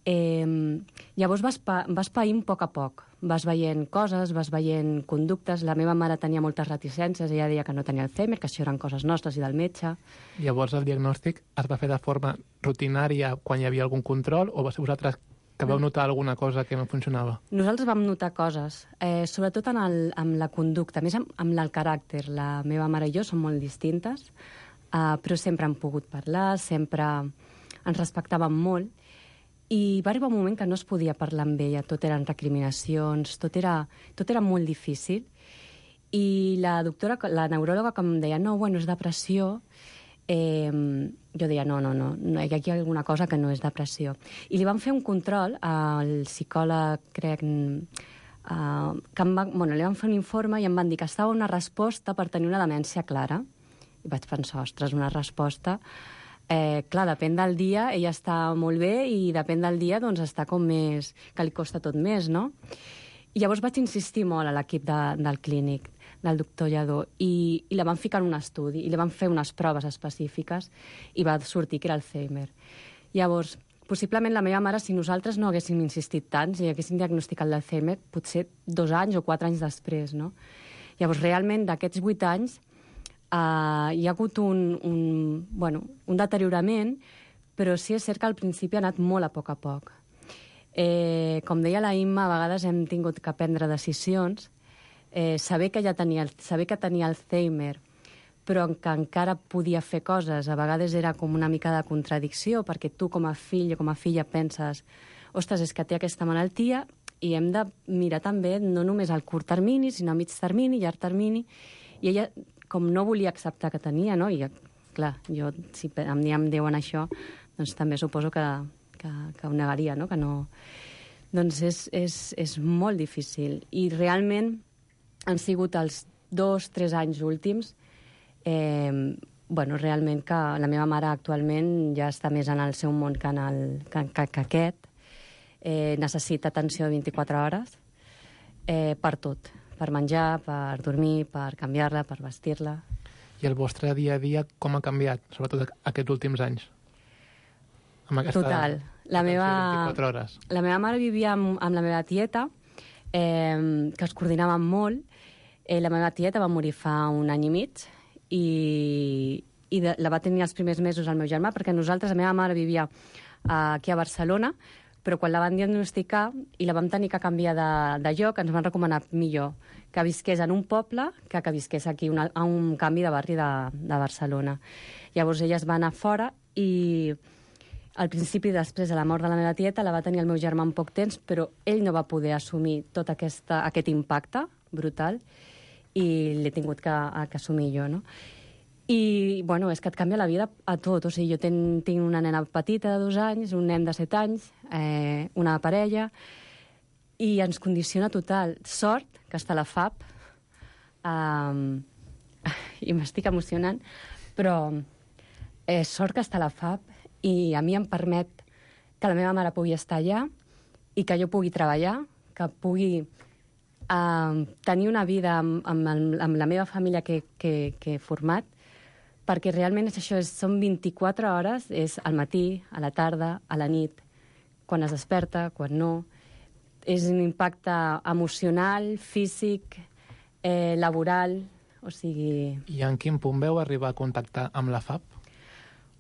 Llavors vas païnt a poc. Vas veient coses, vas veient conductes. La meva mare tenia moltes reticències, ella deia que no tenia Alzheimer, que això eren coses nostres i del metge. Llavors el diagnòstic es va fer de forma rutinària quan hi havia algun control, o va ser vosaltres que vau notar alguna cosa que no funcionava? Nosaltres vam notar coses, sobretot amb la conducta, més amb el caràcter. La meva mare i jo som molt distintes, però sempre hem pogut parlar, sempre ens respectàvem molt, i va arribar un moment que no es podia parlar amb ella, tot eren recriminacions, tot era molt difícil. I la neuròloga que em deia, no, és depressió, jo deia, no, hi ha aquí alguna cosa que no és depressió. I li van fer un control al psicòleg, crec, li van fer un informe i em van dir que estava una resposta per tenir una demència clara. I vaig pensar, ostres, una resposta... clar, depèn del dia, ella està molt bé, i depèn del dia, doncs, està com més... que li costa tot més, no? I llavors vaig insistir molt a l'equip del clínic, del doctor Lladó, i la van ficar en un estudi, i li van fer unes proves específiques, i va sortir que era Alzheimer. Llavors, possiblement la meva mare, si nosaltres no haguéssim insistit tant, si haguéssim diagnosticat l'Alzheimer, potser 2 anys o 4 anys després, no? Llavors, realment, d'aquests 8 anys, hi ha hagut un deteriorament, però sí és cert que al principi ha anat molt a poc. Com deia la Imma, a vegades hem tingut que prendre decisions, saber que tenia Alzheimer, però que encara podia fer coses, a vegades era com una mica de contradicció, perquè tu com a fill o com a filla penses, ostres, és que té aquesta malaltia, i hem de mirar també no només al curt termini, sinó a mig termini, llarg termini, i ella com no volia acceptar que tenia, no? I, clar, jo, si em diuen això, doncs també suposo que ho negaria, no? Que no... Doncs és molt difícil. I realment han sigut els 2-3 anys últims, realment que la meva mare actualment ja està més en el seu món que aquest. Necessita atenció 24 hores per tot. Per menjar, per dormir, per canviar-la, per vestir-la. I el vostre dia a dia com ha canviat, sobretot aquests últims anys? Total. La meva mare vivia amb la meva tieta, que es coordinàvem molt. La meva tieta va morir fa 1 any i mig, i la va tenir els primers mesos el meu germà, perquè la meva mare vivia aquí a Barcelona, però quan la van diagnosticar i la vam tenir que canviar de lloc, ens van recomanar millor que visqués en un poble que visqués aquí a un canvi de barri de Barcelona. Llavors ella es va anar fora, i al principi, després de la mort de la meva tieta, la va tenir el meu germà en poc temps, però ell no va poder assumir tot aquest impacte brutal, i l'he tingut que assumir jo, no? I, bueno, és que et canvia la vida a tot. O sigui, jo tinc una nena petita de 2 anys, un nen de 7 anys, una parella, i ens condiciona total. Sort que està la FAP, i m'estic emocionant, però sort que està la FAP i a mi em permet que la meva mare pugui estar allà i que jo pugui treballar, que pugui tenir una vida amb la meva família que he format, perquè realment és això, són 24 hores, és al matí, a la tarda, a la nit, quan es desperta, quan no. És un impacte emocional, físic, laboral, o sigui... I en quin punt veu arribar a contactar amb la FAP?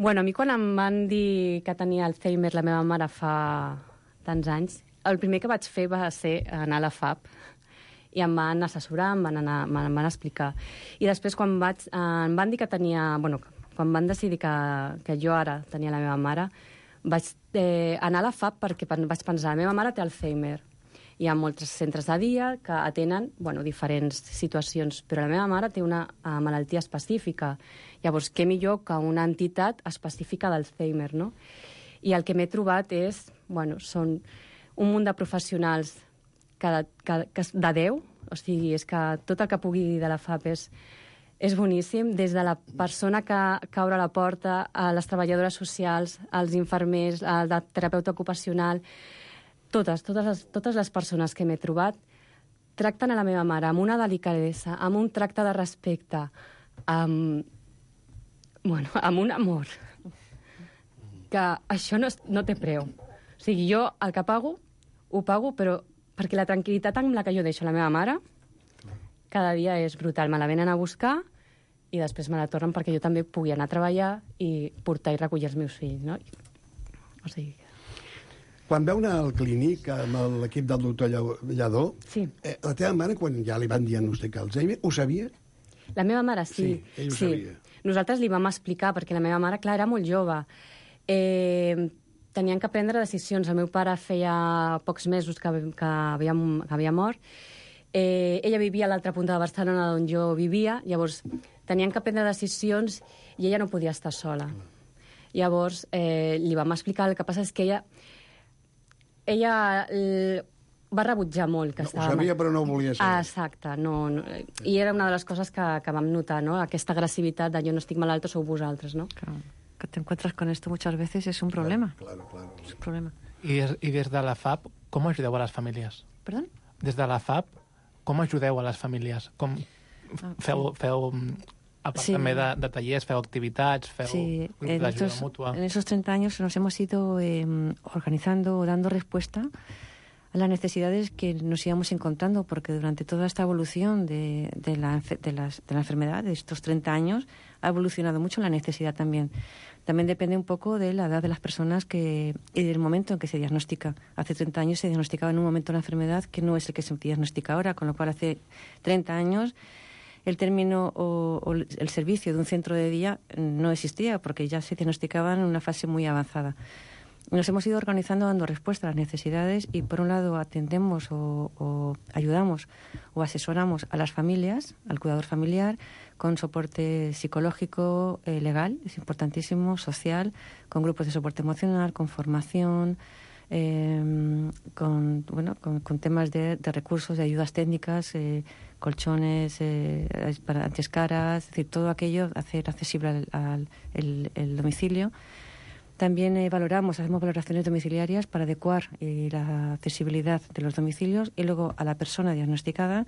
Bueno, a mi quan em van dir que tenia Alzheimer la meva mare fa tants anys, el primer que vaig fer va ser anar a la FAP i em van assessorar, em van explicar. I després, quan em van dir que tenia... Bueno, quan van decidir que jo ara tenia la meva mare, vaig anar a la FAP perquè vaig pensar, la meva mare té Alzheimer. Hi ha molts centres de dia que atenen diferents situacions, però la meva mare té una malaltia específica. Llavors, què millor que una entitat específica d'Alzheimer, no? I el que m'he trobat són un munt de professionals de Déu, o sigui, és que tot el que pugui dir de la FAP és boníssim, des de la persona que obre la porta, a les treballadores socials, als infermers, al terapeuta ocupacional, totes les persones que m'he trobat tracten a la meva mare amb una delicadesa, amb un tracte de respecte, amb un amor, que això no té preu. O sigui, jo el que pago, ho pago, però perquè la tranquil·litat amb la que jo deixo la meva mare cada dia és brutal. Me la venen a buscar i després me la tornen perquè jo també pugui anar a treballar i portar i recollir els meus fills, no? O sigui... Quan veu anar al clínic amb l'equip del doctor Lladó, sí. La teva mare, quan ja li van diagnosticar Alzheimer, ho sabia? La meva mare, sí. Sí, ell ho sabia. Nosaltres li vam explicar, perquè la meva mare, clar, era molt jove. Tenien que prendre decisions. El meu pare feia pocs mesos que havia mort. Ella vivia a l'altra punta de Barcelona on jo vivia, llavors tenien que prendre decisions i ella no podia estar sola. Llavors li vam explicar, el que passa és que ella va rebutjar molt que estava... Ho sabia, però no ho volia saber. Exacte, no. I era una de les coses que vam notar, no? Aquesta agressivitat de jo no estic malalt o sou vosaltres, no? Claro. Que te encuentras con esto muchas veces es un problema. Claro. Es un problema. I des de la FAP, com ajudeu a les famílies? Perdó? Des de la FAP, com ajudeu a les famílies? Com feu a part també de tallers, feu activitats, feu grups d'ajuda mútua? En esos 30 años nos hemos ido organizando, dando respuesta a las necesidades que nos íbamos encontrando, porque durante toda esta evolución de la enfermedad, de estos 30 años, ha evolucionado mucho la necesidad también. También depende un poco de la edad de las personas y del momento en que se diagnostica. Hace 30 años se diagnosticaba en un momento una enfermedad que no es el que se diagnostica ahora, con lo cual hace 30 años el término o el servicio de un centro de día no existía, porque ya se diagnosticaban en una fase muy avanzada. Nos hemos ido organizando, dando respuesta a las necesidades y, por un lado, atendemos o ayudamos o asesoramos a las familias, al cuidador familiar, con soporte psicológico, legal, es importantísimo, social, con grupos de soporte emocional, con formación, con temas de recursos, de ayudas técnicas, colchones para antiescaras, es decir, todo aquello, hacer accesible el domicilio. También hacemos valoraciones domiciliarias para adecuar la accesibilidad de los domicilios y luego a la persona diagnosticada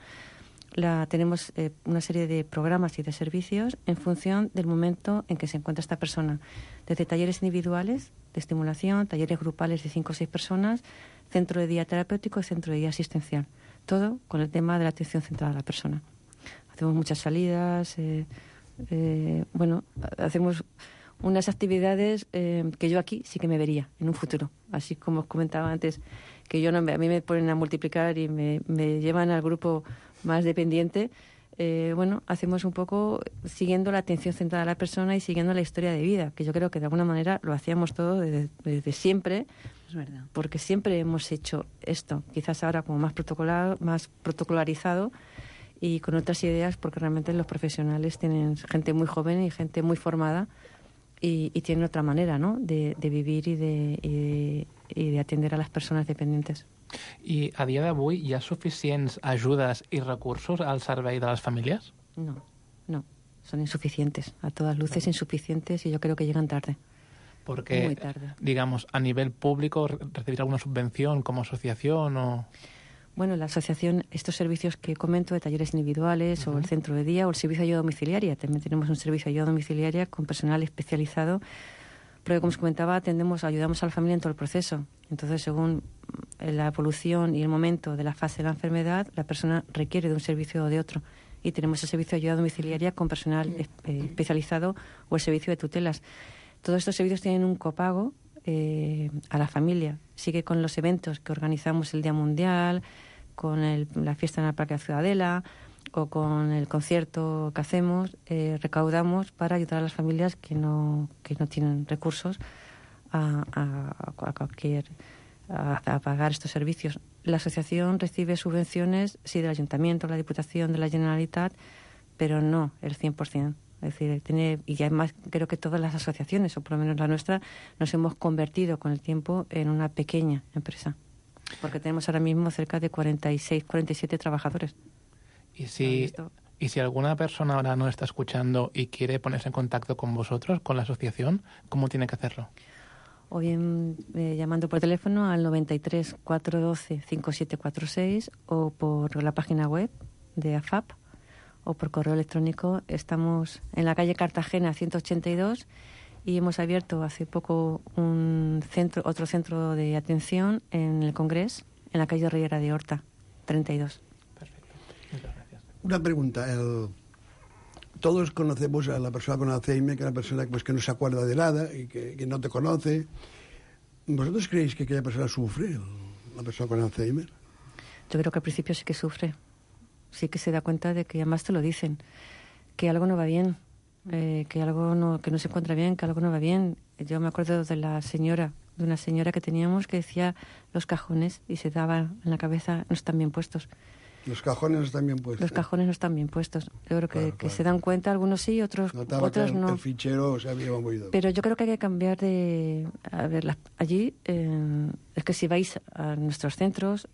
tenemos una serie de programas y de servicios en función del momento en que se encuentra esta persona. Desde talleres individuales de estimulación, talleres grupales de 5 o 6 personas, centro de día terapéutico y centro de día asistencial. Todo con el tema de la atención centrada a la persona. Hacemos muchas salidas, hacemos unas actividades que yo aquí sí que me vería en un futuro. Así como os comentaba antes, que a mí me ponen a multiplicar y me llevan al grupo más dependiente. Hacemos un poco siguiendo la atención centrada a la persona y siguiendo la historia de vida, que yo creo que de alguna manera lo hacíamos todo desde siempre. Es verdad. Porque siempre hemos hecho esto, quizás ahora como más protocolarizado, y con otras ideas, porque realmente los profesionales tienen gente muy joven y gente muy formada y tienen otra manera, ¿no?, de vivir y de atender a las personas dependientes. I a dia d'avui hi ha suficients ajudes i recursos al servei de les famílies? No, son insuficientes, a todas luces insuficientes, y yo creo que llegan tarde. Porque, muy tarde. Digamos, a nivel público, ¿recibir alguna subvención como asociación o...? Bueno, la asociación, estos servicios que comento, de talleres individuales, o el centro de día, o el servicio de ayuda domiciliaria. También tenemos un servicio de ayuda domiciliaria con personal especializado, porque, como os comentaba, ayudamos a la familia en todo el proceso. Entonces, según la evolución y el momento de la fase de la enfermedad, la persona requiere de un servicio o de otro. Y tenemos el servicio de ayuda domiciliaria con personal especializado, o el servicio de tutelas. Todos estos servicios tienen un copago a la familia. Sigue con los eventos que organizamos el Día Mundial, con la fiesta en el Parque de la Ciudadela, o con el concierto que hacemos, recaudamos para ayudar a las familias que no tienen recursos a pagar estos servicios. La asociación recibe subvenciones, sí, del Ayuntamiento, la Diputación, de la Generalitat, pero no el 100%. Es decir, y además creo que todas las asociaciones, o por lo menos la nuestra, nos hemos convertido con el tiempo en una pequeña empresa. Porque tenemos ahora mismo cerca de 46, 47 trabajadores. Y si alguna persona ahora no está escuchando y quiere ponerse en contacto con vosotros, con la asociación, ¿cómo tiene que hacerlo? O bien llamando por teléfono al 93 412 5746, o por la página web de AFAP, o por correo electrónico. Estamos en la calle Cartagena 182 y hemos abierto hace poco otro centro de atención en el Congrés, en la calle Riera de Horta 32. Perfecto. Muchas gracias. Una pregunta. Todos conocemos a la persona con Alzheimer, que es una persona pues, que no se acuerda de nada y que no te conoce. ¿Vosotros creéis que aquella persona sufre, la persona con Alzheimer? Yo creo que al principio sí que sufre. Sí que se da cuenta de que, además te lo dicen, que algo no va bien, que no se encuentra bien, que algo no va bien. Yo me acuerdo de una señora que teníamos que decía los cajones, y se daba en la cabeza, no están bien puestos. Los cajones no están bien puestos. Los cajones no están bien puestos. Yo creo que claro. se dan cuenta, algunos sí, otros no. El fichero se había movido. Pero yo creo que hay que cambiar de... A ver, allí, es que si vais a nuestros centros...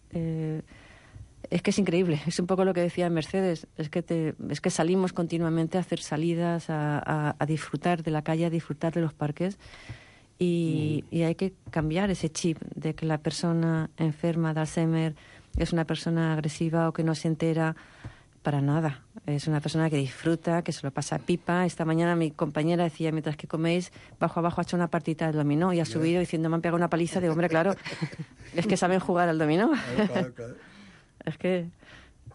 es que es increíble, es un poco lo que decía Mercedes, es que salimos continuamente a hacer salidas, a disfrutar de la calle, a disfrutar de los parques, y hay que cambiar ese chip de que la persona enferma de Alzheimer es una persona agresiva o que no se entera para nada. Es una persona que disfruta, que se lo pasa pipa. Esta mañana mi compañera decía, mientras que coméis, bajo abajo ha hecho una partita de dominó y ha subido diciendo, me han pegado una paliza. De hombre, claro, es que saben jugar al dominó. Claro. És que...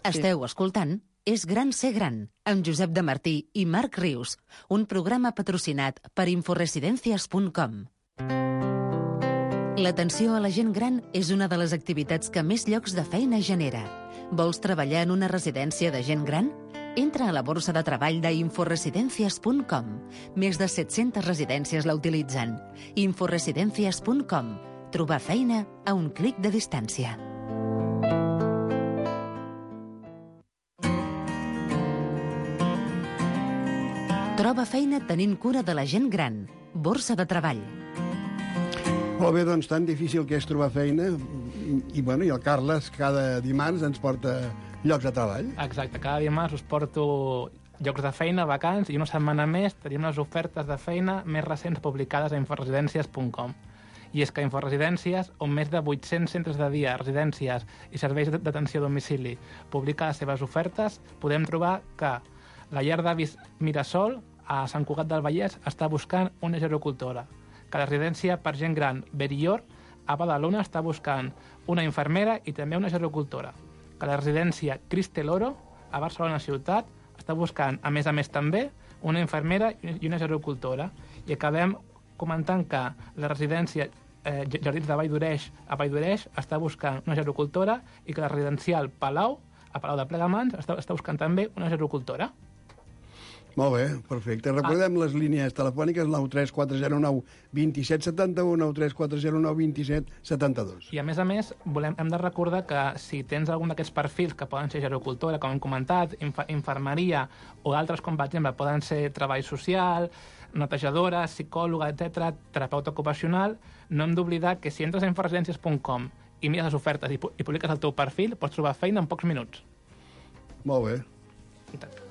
Esteu escoltant És gran ser gran, amb Josep de Martí i Marc Rius, un programa patrocinat per inforesidències.com. L'atenció a la gent gran és una de les activitats que més llocs de feina genera. Vols treballar en una residència de gent gran? Entra a la borsa de treball d'inforesidències.com. Més de 700 residències la utilitzen. Inforesidències.com. Trobar feina a un clic de distància. Troba feina tenint cura de la gent gran. Borsa de treball. Molt bé, doncs tan difícil que és trobar feina, i el Carles cada dimarts ens porta llocs de treball. Exacte, cada dimarts us porto llocs de feina, vacants, i una setmana més tenim les ofertes de feina més recents publicades a inforesidències.com. I és que a Inforesidències, on més de 800 centres de dia, residències i serveis d'atenció a domicili publica les seves ofertes, podem trobar que la llar d'avis Mirasol, a Sant Cugat del Vallès, està buscant una gerocultora. Que la residència per gent gran Berillor, a Badalona, està buscant una infermera i també una gerocultora. Que la residència Cristeloro, a Barcelona ciutat, està buscant, a més també, una infermera i una gerocultora. I acabem comentant que la residència Jardins de Vall d'Oreix, a Vall d'Oreix, està buscant una gerocultora, i que la residencial Palau, a Palau de Plegamans, està buscant també una gerocultora. Molt bé, perfecte. Recordem les línies telefòniques 93409 2771, 93409 2772. I a més, hem de recordar que si tens algun d'aquests perfils que poden ser gerocultora, com hem comentat, infermeria o altres com, per exemple, poden ser treball social, netejadora, psicòloga, etc., terapeuta ocupacional, no hem d'oblidar que si entres a inforesidències.com i mires les ofertes i publiques el teu perfil, pots trobar feina en pocs minuts. Molt bé. I tant.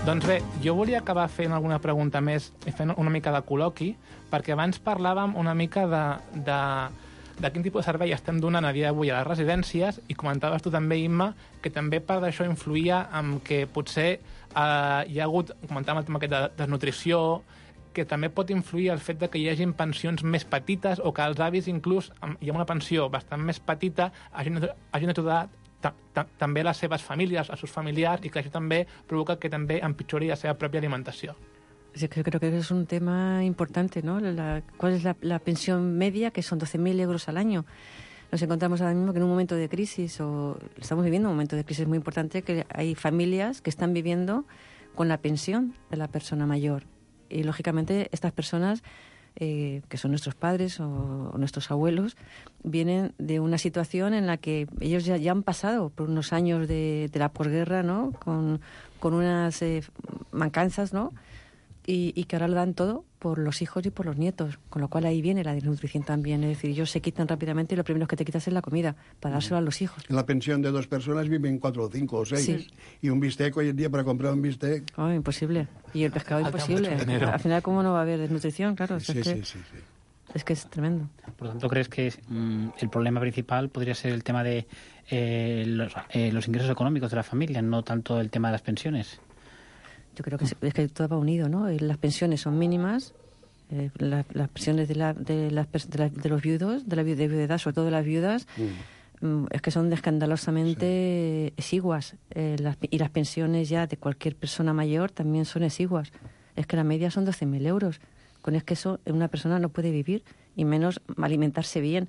Doncs bé, jo volia acabar fent alguna pregunta més i fent una mica de col·loqui, perquè abans parlàvem una mica de quin tipus de servei estem donant a dia d'avui a les residències i comentaves tu també, Imma, que també part d'això influïa en que potser hi ha hagut, comentàvem el tema aquest de desnutrició, que també pot influir el fet de que hi hagin pensions més petites o que els avis, inclús, hi ha una pensió bastant més petita, hagin ajudat també les seves famílies, els seus familiars, i que això també provoca que també empitjori la seva pròpia alimentació. Sí, creo que es un tema importante, ¿no? ¿Cuál es la pensión media? Que son 12.000 euros al año. Nos encontramos ahora mismo que en un momento de crisis, o estamos viviendo un momento de crisis muy importante, que hay familias que están viviendo con la pensión de la persona mayor. Y, lógicamente, estas personas, que son nuestros padres o nuestros abuelos, vienen de una situación en la que ellos ya han pasado por unos años de la posguerra, ¿no? Con unas mancanzas, ¿no? Y que ahora lo dan todo por los hijos y por los nietos, con lo cual ahí viene la desnutrición también. Es decir, ellos se quitan rápidamente y lo primero que te quitas es la comida, para dárselo a los hijos. En la pensión de 2 personas viven 4 o 5 o 6. Sí. Y un bistec hoy en día, para comprar un bistec... Oh, imposible. Y el pescado imposible. Al final, ¿cómo no va a haber desnutrición? Claro, Sí. Es que es tremendo. Por lo tanto, ¿crees que el problema principal podría ser el tema de los ingresos económicos de la familia, no tanto el tema de las pensiones? Yo creo que es que todo va unido, ¿no? Las pensiones son mínimas, las pensiones de los viudos, de viudedad, sobre todo de las viudas, es que son escandalosamente exiguas. Y las pensiones ya de cualquier persona mayor también son exiguas. Es que la media son 12.000 euros. Con es que eso una persona no puede vivir, y menos alimentarse bien.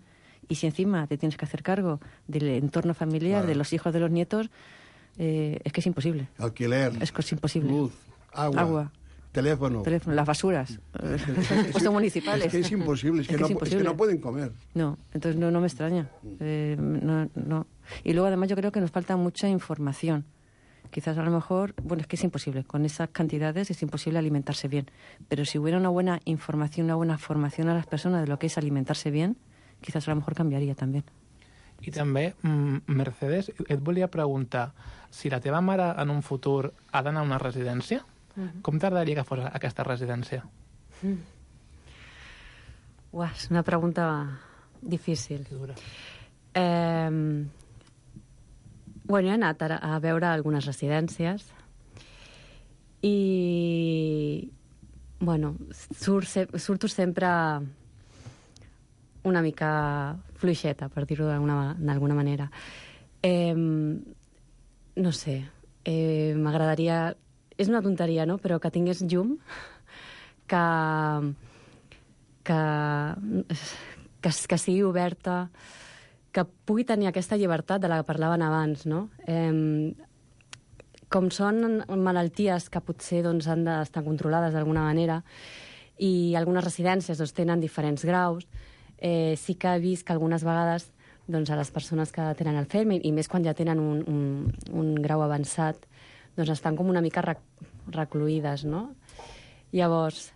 Y si encima te tienes que hacer cargo del entorno familiar, de los hijos, de los nietos, es que es imposible. Alquiler. Es que es imposible. Luz, agua. Teléfono, las basuras, puestos municipales. Es que es imposible, es que no pueden comer. No, entonces no me extraña. No. Y luego además yo creo que nos falta mucha información. Quizás a lo mejor, bueno, es que es imposible, con esas cantidades es imposible alimentarse bien. Pero si hubiera una buena información, una buena formación a las personas de lo que es alimentarse bien, quizás a lo mejor cambiaria també. I també, Mercedes, et volia preguntar, si la teva mare en un futur ha d'anar a una residència, com t'agradaria que fos aquesta residència? Uah, és una pregunta difícil. Bueno, he anat a veure algunes residències i, bueno, surto sempre una mica fluixeta, per dir-ho d'alguna manera. No sé, m'agradaria... És una tonteria, no?, però que tingués llum, que sigui oberta, que pugui tenir aquesta llibertat de la que parlaven abans, no? Com són malalties que potser doncs, han d'estar controlades d'alguna manera, i algunes residències doncs, tenen diferents graus, sí que he vist que algunes vegades doncs, a les persones que tenen el FEM, i més quan ja tenen un grau avançat, doncs estan com una mica recluïdes, no? Llavors,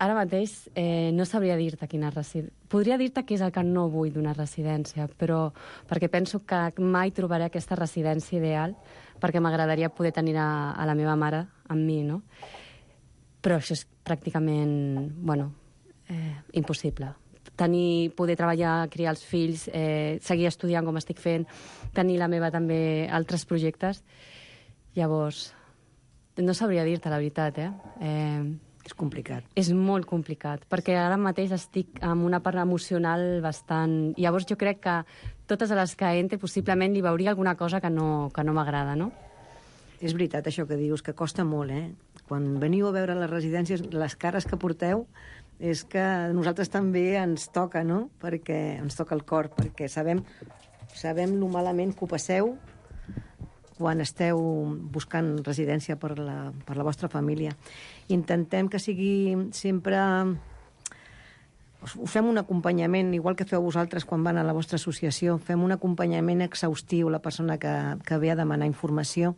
ara mateix no sabria dir-te quina residència... Podria dir-te què és el que no vull d'una residència, però perquè penso que mai trobaré aquesta residència ideal, perquè m'agradaria poder tenir a la meva mare amb mi, no? Però això és pràcticament, bueno, impossible. Poder treballar, criar els fills, seguir estudiant com estic fent, tenir la meva també altres projectes. Llavors, no sabria dir-te la veritat, És complicat. És molt complicat, perquè ara mateix estic amb una part emocional bastant... Llavors jo crec que totes les que entre possiblement li veuria alguna cosa que no m'agrada, no? És veritat això que dius, que costa molt, Quan veniu a veure les residències, les cares que porteu és que a nosaltres també ens toca, no? Perquè ens toca el cor, perquè sabem lo malament que ho passeu quan esteu buscant residència per la vostra família. Intentem que sigui sempre... Us fem un acompanyament, igual que feu vosaltres quan van a la vostra associació, fem un acompanyament exhaustiu a la persona que ve a demanar informació.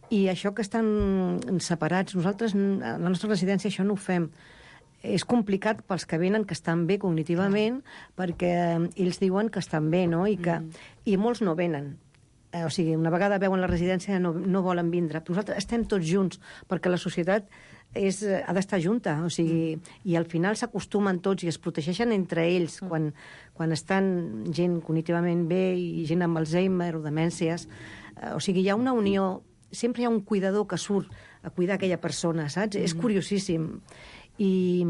I això que estan separats, nosaltres, a la nostra residència, això no ho fem. És complicat pels que venen, que estan bé cognitivament, perquè ells diuen que estan bé, no? I molts no venen. O sigui, una vegada veuen la residència no volen vindre. Nosaltres estem tots junts, perquè la societat ha d'estar junta, o sigui, i al final s'acostumen tots i es protegeixen entre ells quan estan gent cognitivament bé i gent amb Alzheimer o demències. O sigui, hi ha una unió, sempre hi ha un cuidador que surt a cuidar aquella persona, saps? És curiosíssim. I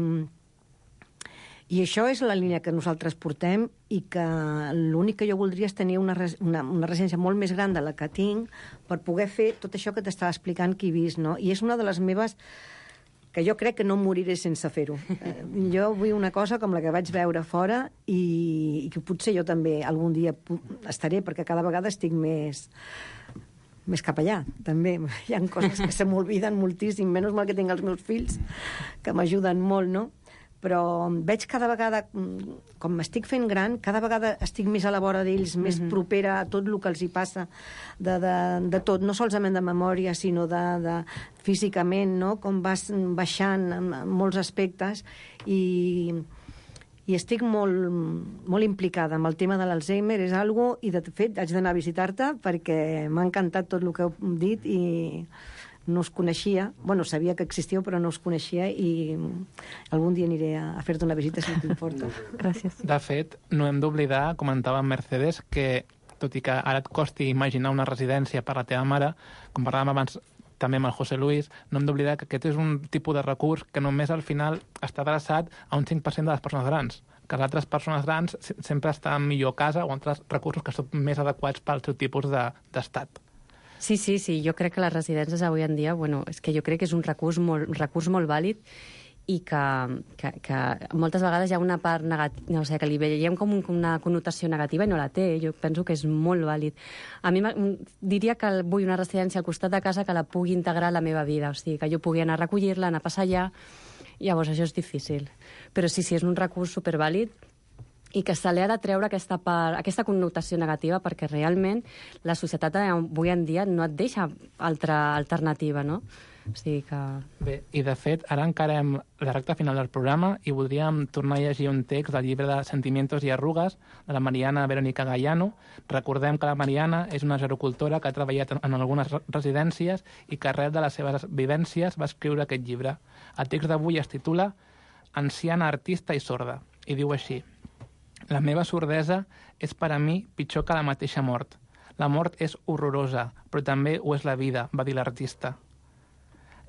això és la línia que nosaltres portem i que l'únic que jo voldria és tenir una residència molt més gran de la que tinc per poder fer tot això que t'estava explicant que he vist, no? I és una de les meves que jo crec que no moriré sense fer-ho. Jo vull una cosa com la que vaig veure fora i que potser jo també algun dia estaré, perquè cada vegada estic més cap allà, també. Hi ha coses que se m'olviden moltíssim, menys mal que tinc els meus fills, que m'ajuden molt, no? Però veig cada vegada, com m'estic fent gran, cada vegada estic més a la vora d'ells, més propera a tot el que els hi passa, de tot, no solament de memòria, sinó de físicament, no? Com vas baixant en molts aspectes i estic molt implicada amb el tema de l'Alzheimer, és algo, i de fet haig d'anar a visitar-te perquè m'ha encantat tot el que heu dit i no us coneixia, bueno, sabia que existíeu però no us coneixia i algun dia aniré a fer-te una visita si t'importa. Gràcies. De fet, no hem d'oblidar, comentava en Mercedes, que tot i que ara et costi imaginar una residència per la teva mare, com parlàvem abans també amb el José Luis, no hem d'oblidar que aquest és un tipus de recurs que només al final està adreçat a un 5% de les persones grans, que les altres persones grans sempre estan millor a casa o altres recursos que són més adequats pel seu tipus d'estat. Sí, jo crec que les residències avui en dia, bueno, és que jo crec que és un recurs molt vàlid i que moltes vegades hi ha una part negativa, o sigui, que li veiem com una connotació negativa i no la té. Jo penso que és molt vàlid. A mi diria que vull una residència al costat de casa que la pugui integrar a la meva vida, o sigui, que jo pugui anar a recollir-la, anar a passar allà. Llavors, això és difícil. Però sí, és un recurs supervàlid i que se li ha de treure aquesta connotació negativa perquè realment la societat avui en dia no et deixa altra alternativa, no? O sigui que... Bé, i de fet, ara encarem la recta final del programa i voldríem tornar a llegir un text del llibre de Sentimientos y arrugas de la Mariana Verónica Gallano. Recordem que la Mariana és una gerocultora que ha treballat en algunes residències i que arrel de les seves vivències va escriure aquest llibre. El text d'avui es titula Anciana, artista i sorda i diu així: la meva sordesa és per a mi pitjor que la mateixa mort. La mort és horrorosa, però també ho és la vida, va dir l'artista.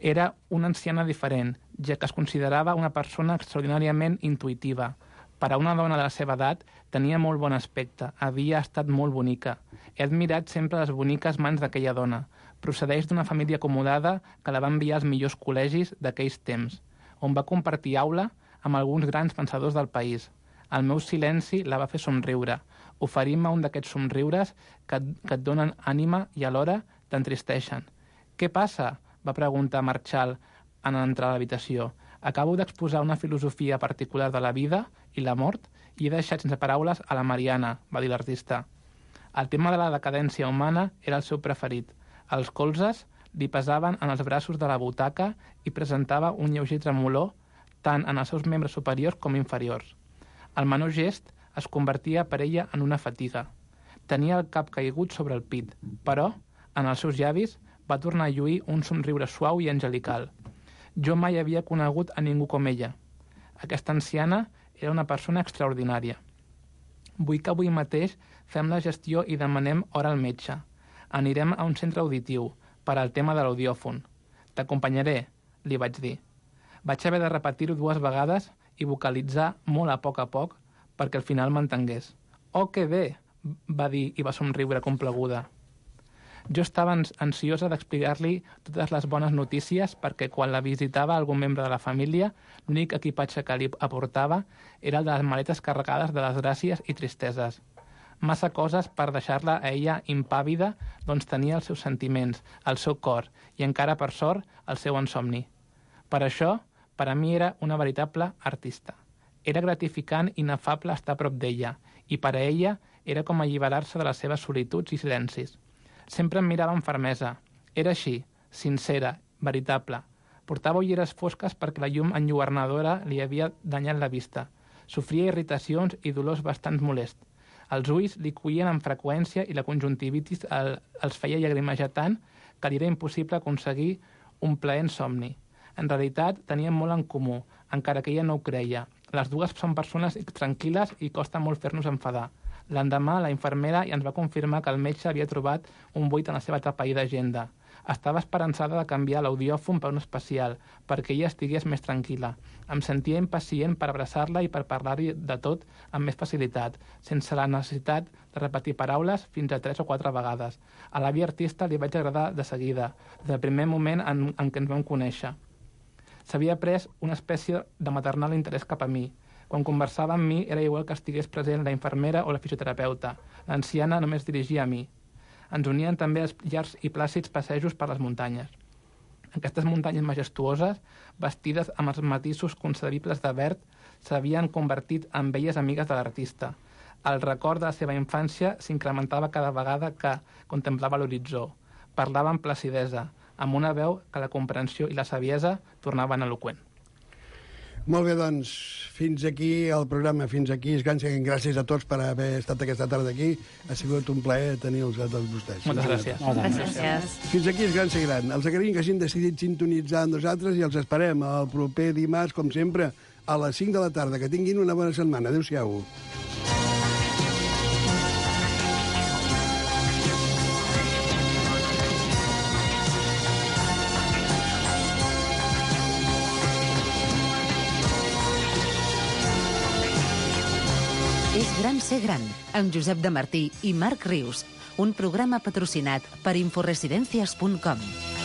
Era una anciana diferent, ja que es considerava una persona extraordinàriament intuïtiva. Per a una dona de la seva edat, tenia molt bon aspecte, havia estat molt bonica. He admirat sempre les boniques mans d'aquella dona. Procedeix d'una família acomodada que la va enviar als millors col·legis d'aquells temps, on va compartir aula amb alguns grans pensadors del país. El meu silenci la va fer somriure, oferint-me un d'aquests somriures que et donen ànima i alhora t'entristeixen. Què passa? Va preguntar Marchal en entrar a l'habitació. Acabo d'exposar una filosofia particular de la vida i la mort i he deixat sense paraules a la Mariana, va dir l'artista. El tema de la decadència humana era el seu preferit. Els colzes li pesaven en els braços de la butaca i presentava un lleuger tremolor tant en els seus membres superiors com inferiors. El menor gest es convertia per ella en una fatiga. Tenia el cap caigut sobre el pit, però, en els seus llavis, va tornar a lluir un somriure suau i angelical. Jo mai havia conegut a ningú com ella. Aquesta anciana era una persona extraordinària. Vull que avui mateix fem la gestió i demanem hora al metge. Anirem a un centre auditiu per al tema de l'audiòfon. T'acompanyaré, li vaig dir. Vaig haver de repetir-ho 2 vegades i vocalitzar molt a poc perquè al final m'entengués. Oh, que bé, va dir i va somriure compleguda. Jo estava ansiosa d'explicar-li totes les bones notícies perquè quan la visitava algun membre de la família, l'únic equipatge que li aportava era el de les maletes carregades de les gràcies i tristeses. Massa coses per deixar-la a ella impàvida, doncs tenia els seus sentiments, el seu cor i encara, per sort, el seu insomni. Per això, per a mi era una veritable artista. Era gratificant i inefable estar a prop d'ella, i per a ella era com alliberar-se de les seves solituds i silencis. Sempre em mirava amb fermesa. Era així, sincera, veritable. Portava ulleres fosques perquè la llum enlluernadora li havia danyat la vista. Sofria irritacions i dolors bastant molests. Els ulls li coïen amb freqüència i la conjuntivitis els feia llagrimejar tant que li era impossible aconseguir un plaent somni. En realitat, tenien molt en comú, encara que ella no ho creia. Les dues són persones tranquil·les i costa molt fer-nos enfadar. L'endemà, la infermera ens va confirmar que el metge havia trobat un buit en la seva tapaïda agenda. Estava esperançada de canviar l'audiòfon per un especial, perquè ella estigués més tranquil·la. Em sentia impacient per abraçar-la i per parlar-hi de tot amb més facilitat, sense la necessitat de repetir paraules fins a 3 o 4 vegades. A l'àvia artista li vaig agradar de seguida, des del primer moment en què ens vam conèixer. S'havia pres una espècie de maternal interès cap a mi. Quan conversava amb mi era igual que estigués present la infermera o la fisioterapeuta. L'anciana només dirigia a mi. Ens unien també els llargs i plàcids passejos per les muntanyes. Aquestes muntanyes majestuoses, vestides amb els matisos concebibles de verd, s'havien convertit en belles amigues de l'artista. El record de la seva infància s'incrementava cada vegada que contemplava l'horitzó. Parlava amb placidesa, amb una veu que la comprensió i la saviesa tornaven eloqüent. Molt bé, doncs, fins aquí el programa, fins aquí. Gràcies a tots per haver estat aquesta tarda aquí. Ha sigut un plaer tenir-los a tots vostès. Moltes gràcies. Gràcies. Fins aquí és Gran Ser Gran. Els agraïm que hagin decidit sintonitzar amb nosaltres i els esperem el proper dimarts, com sempre, a les 5 de la tarda. Que tinguin una bona setmana. Adéu-siau. És Gran Ser Gran, amb Josep de Martí i Marc Rius, un programa patrocinat per inforesidencias.com.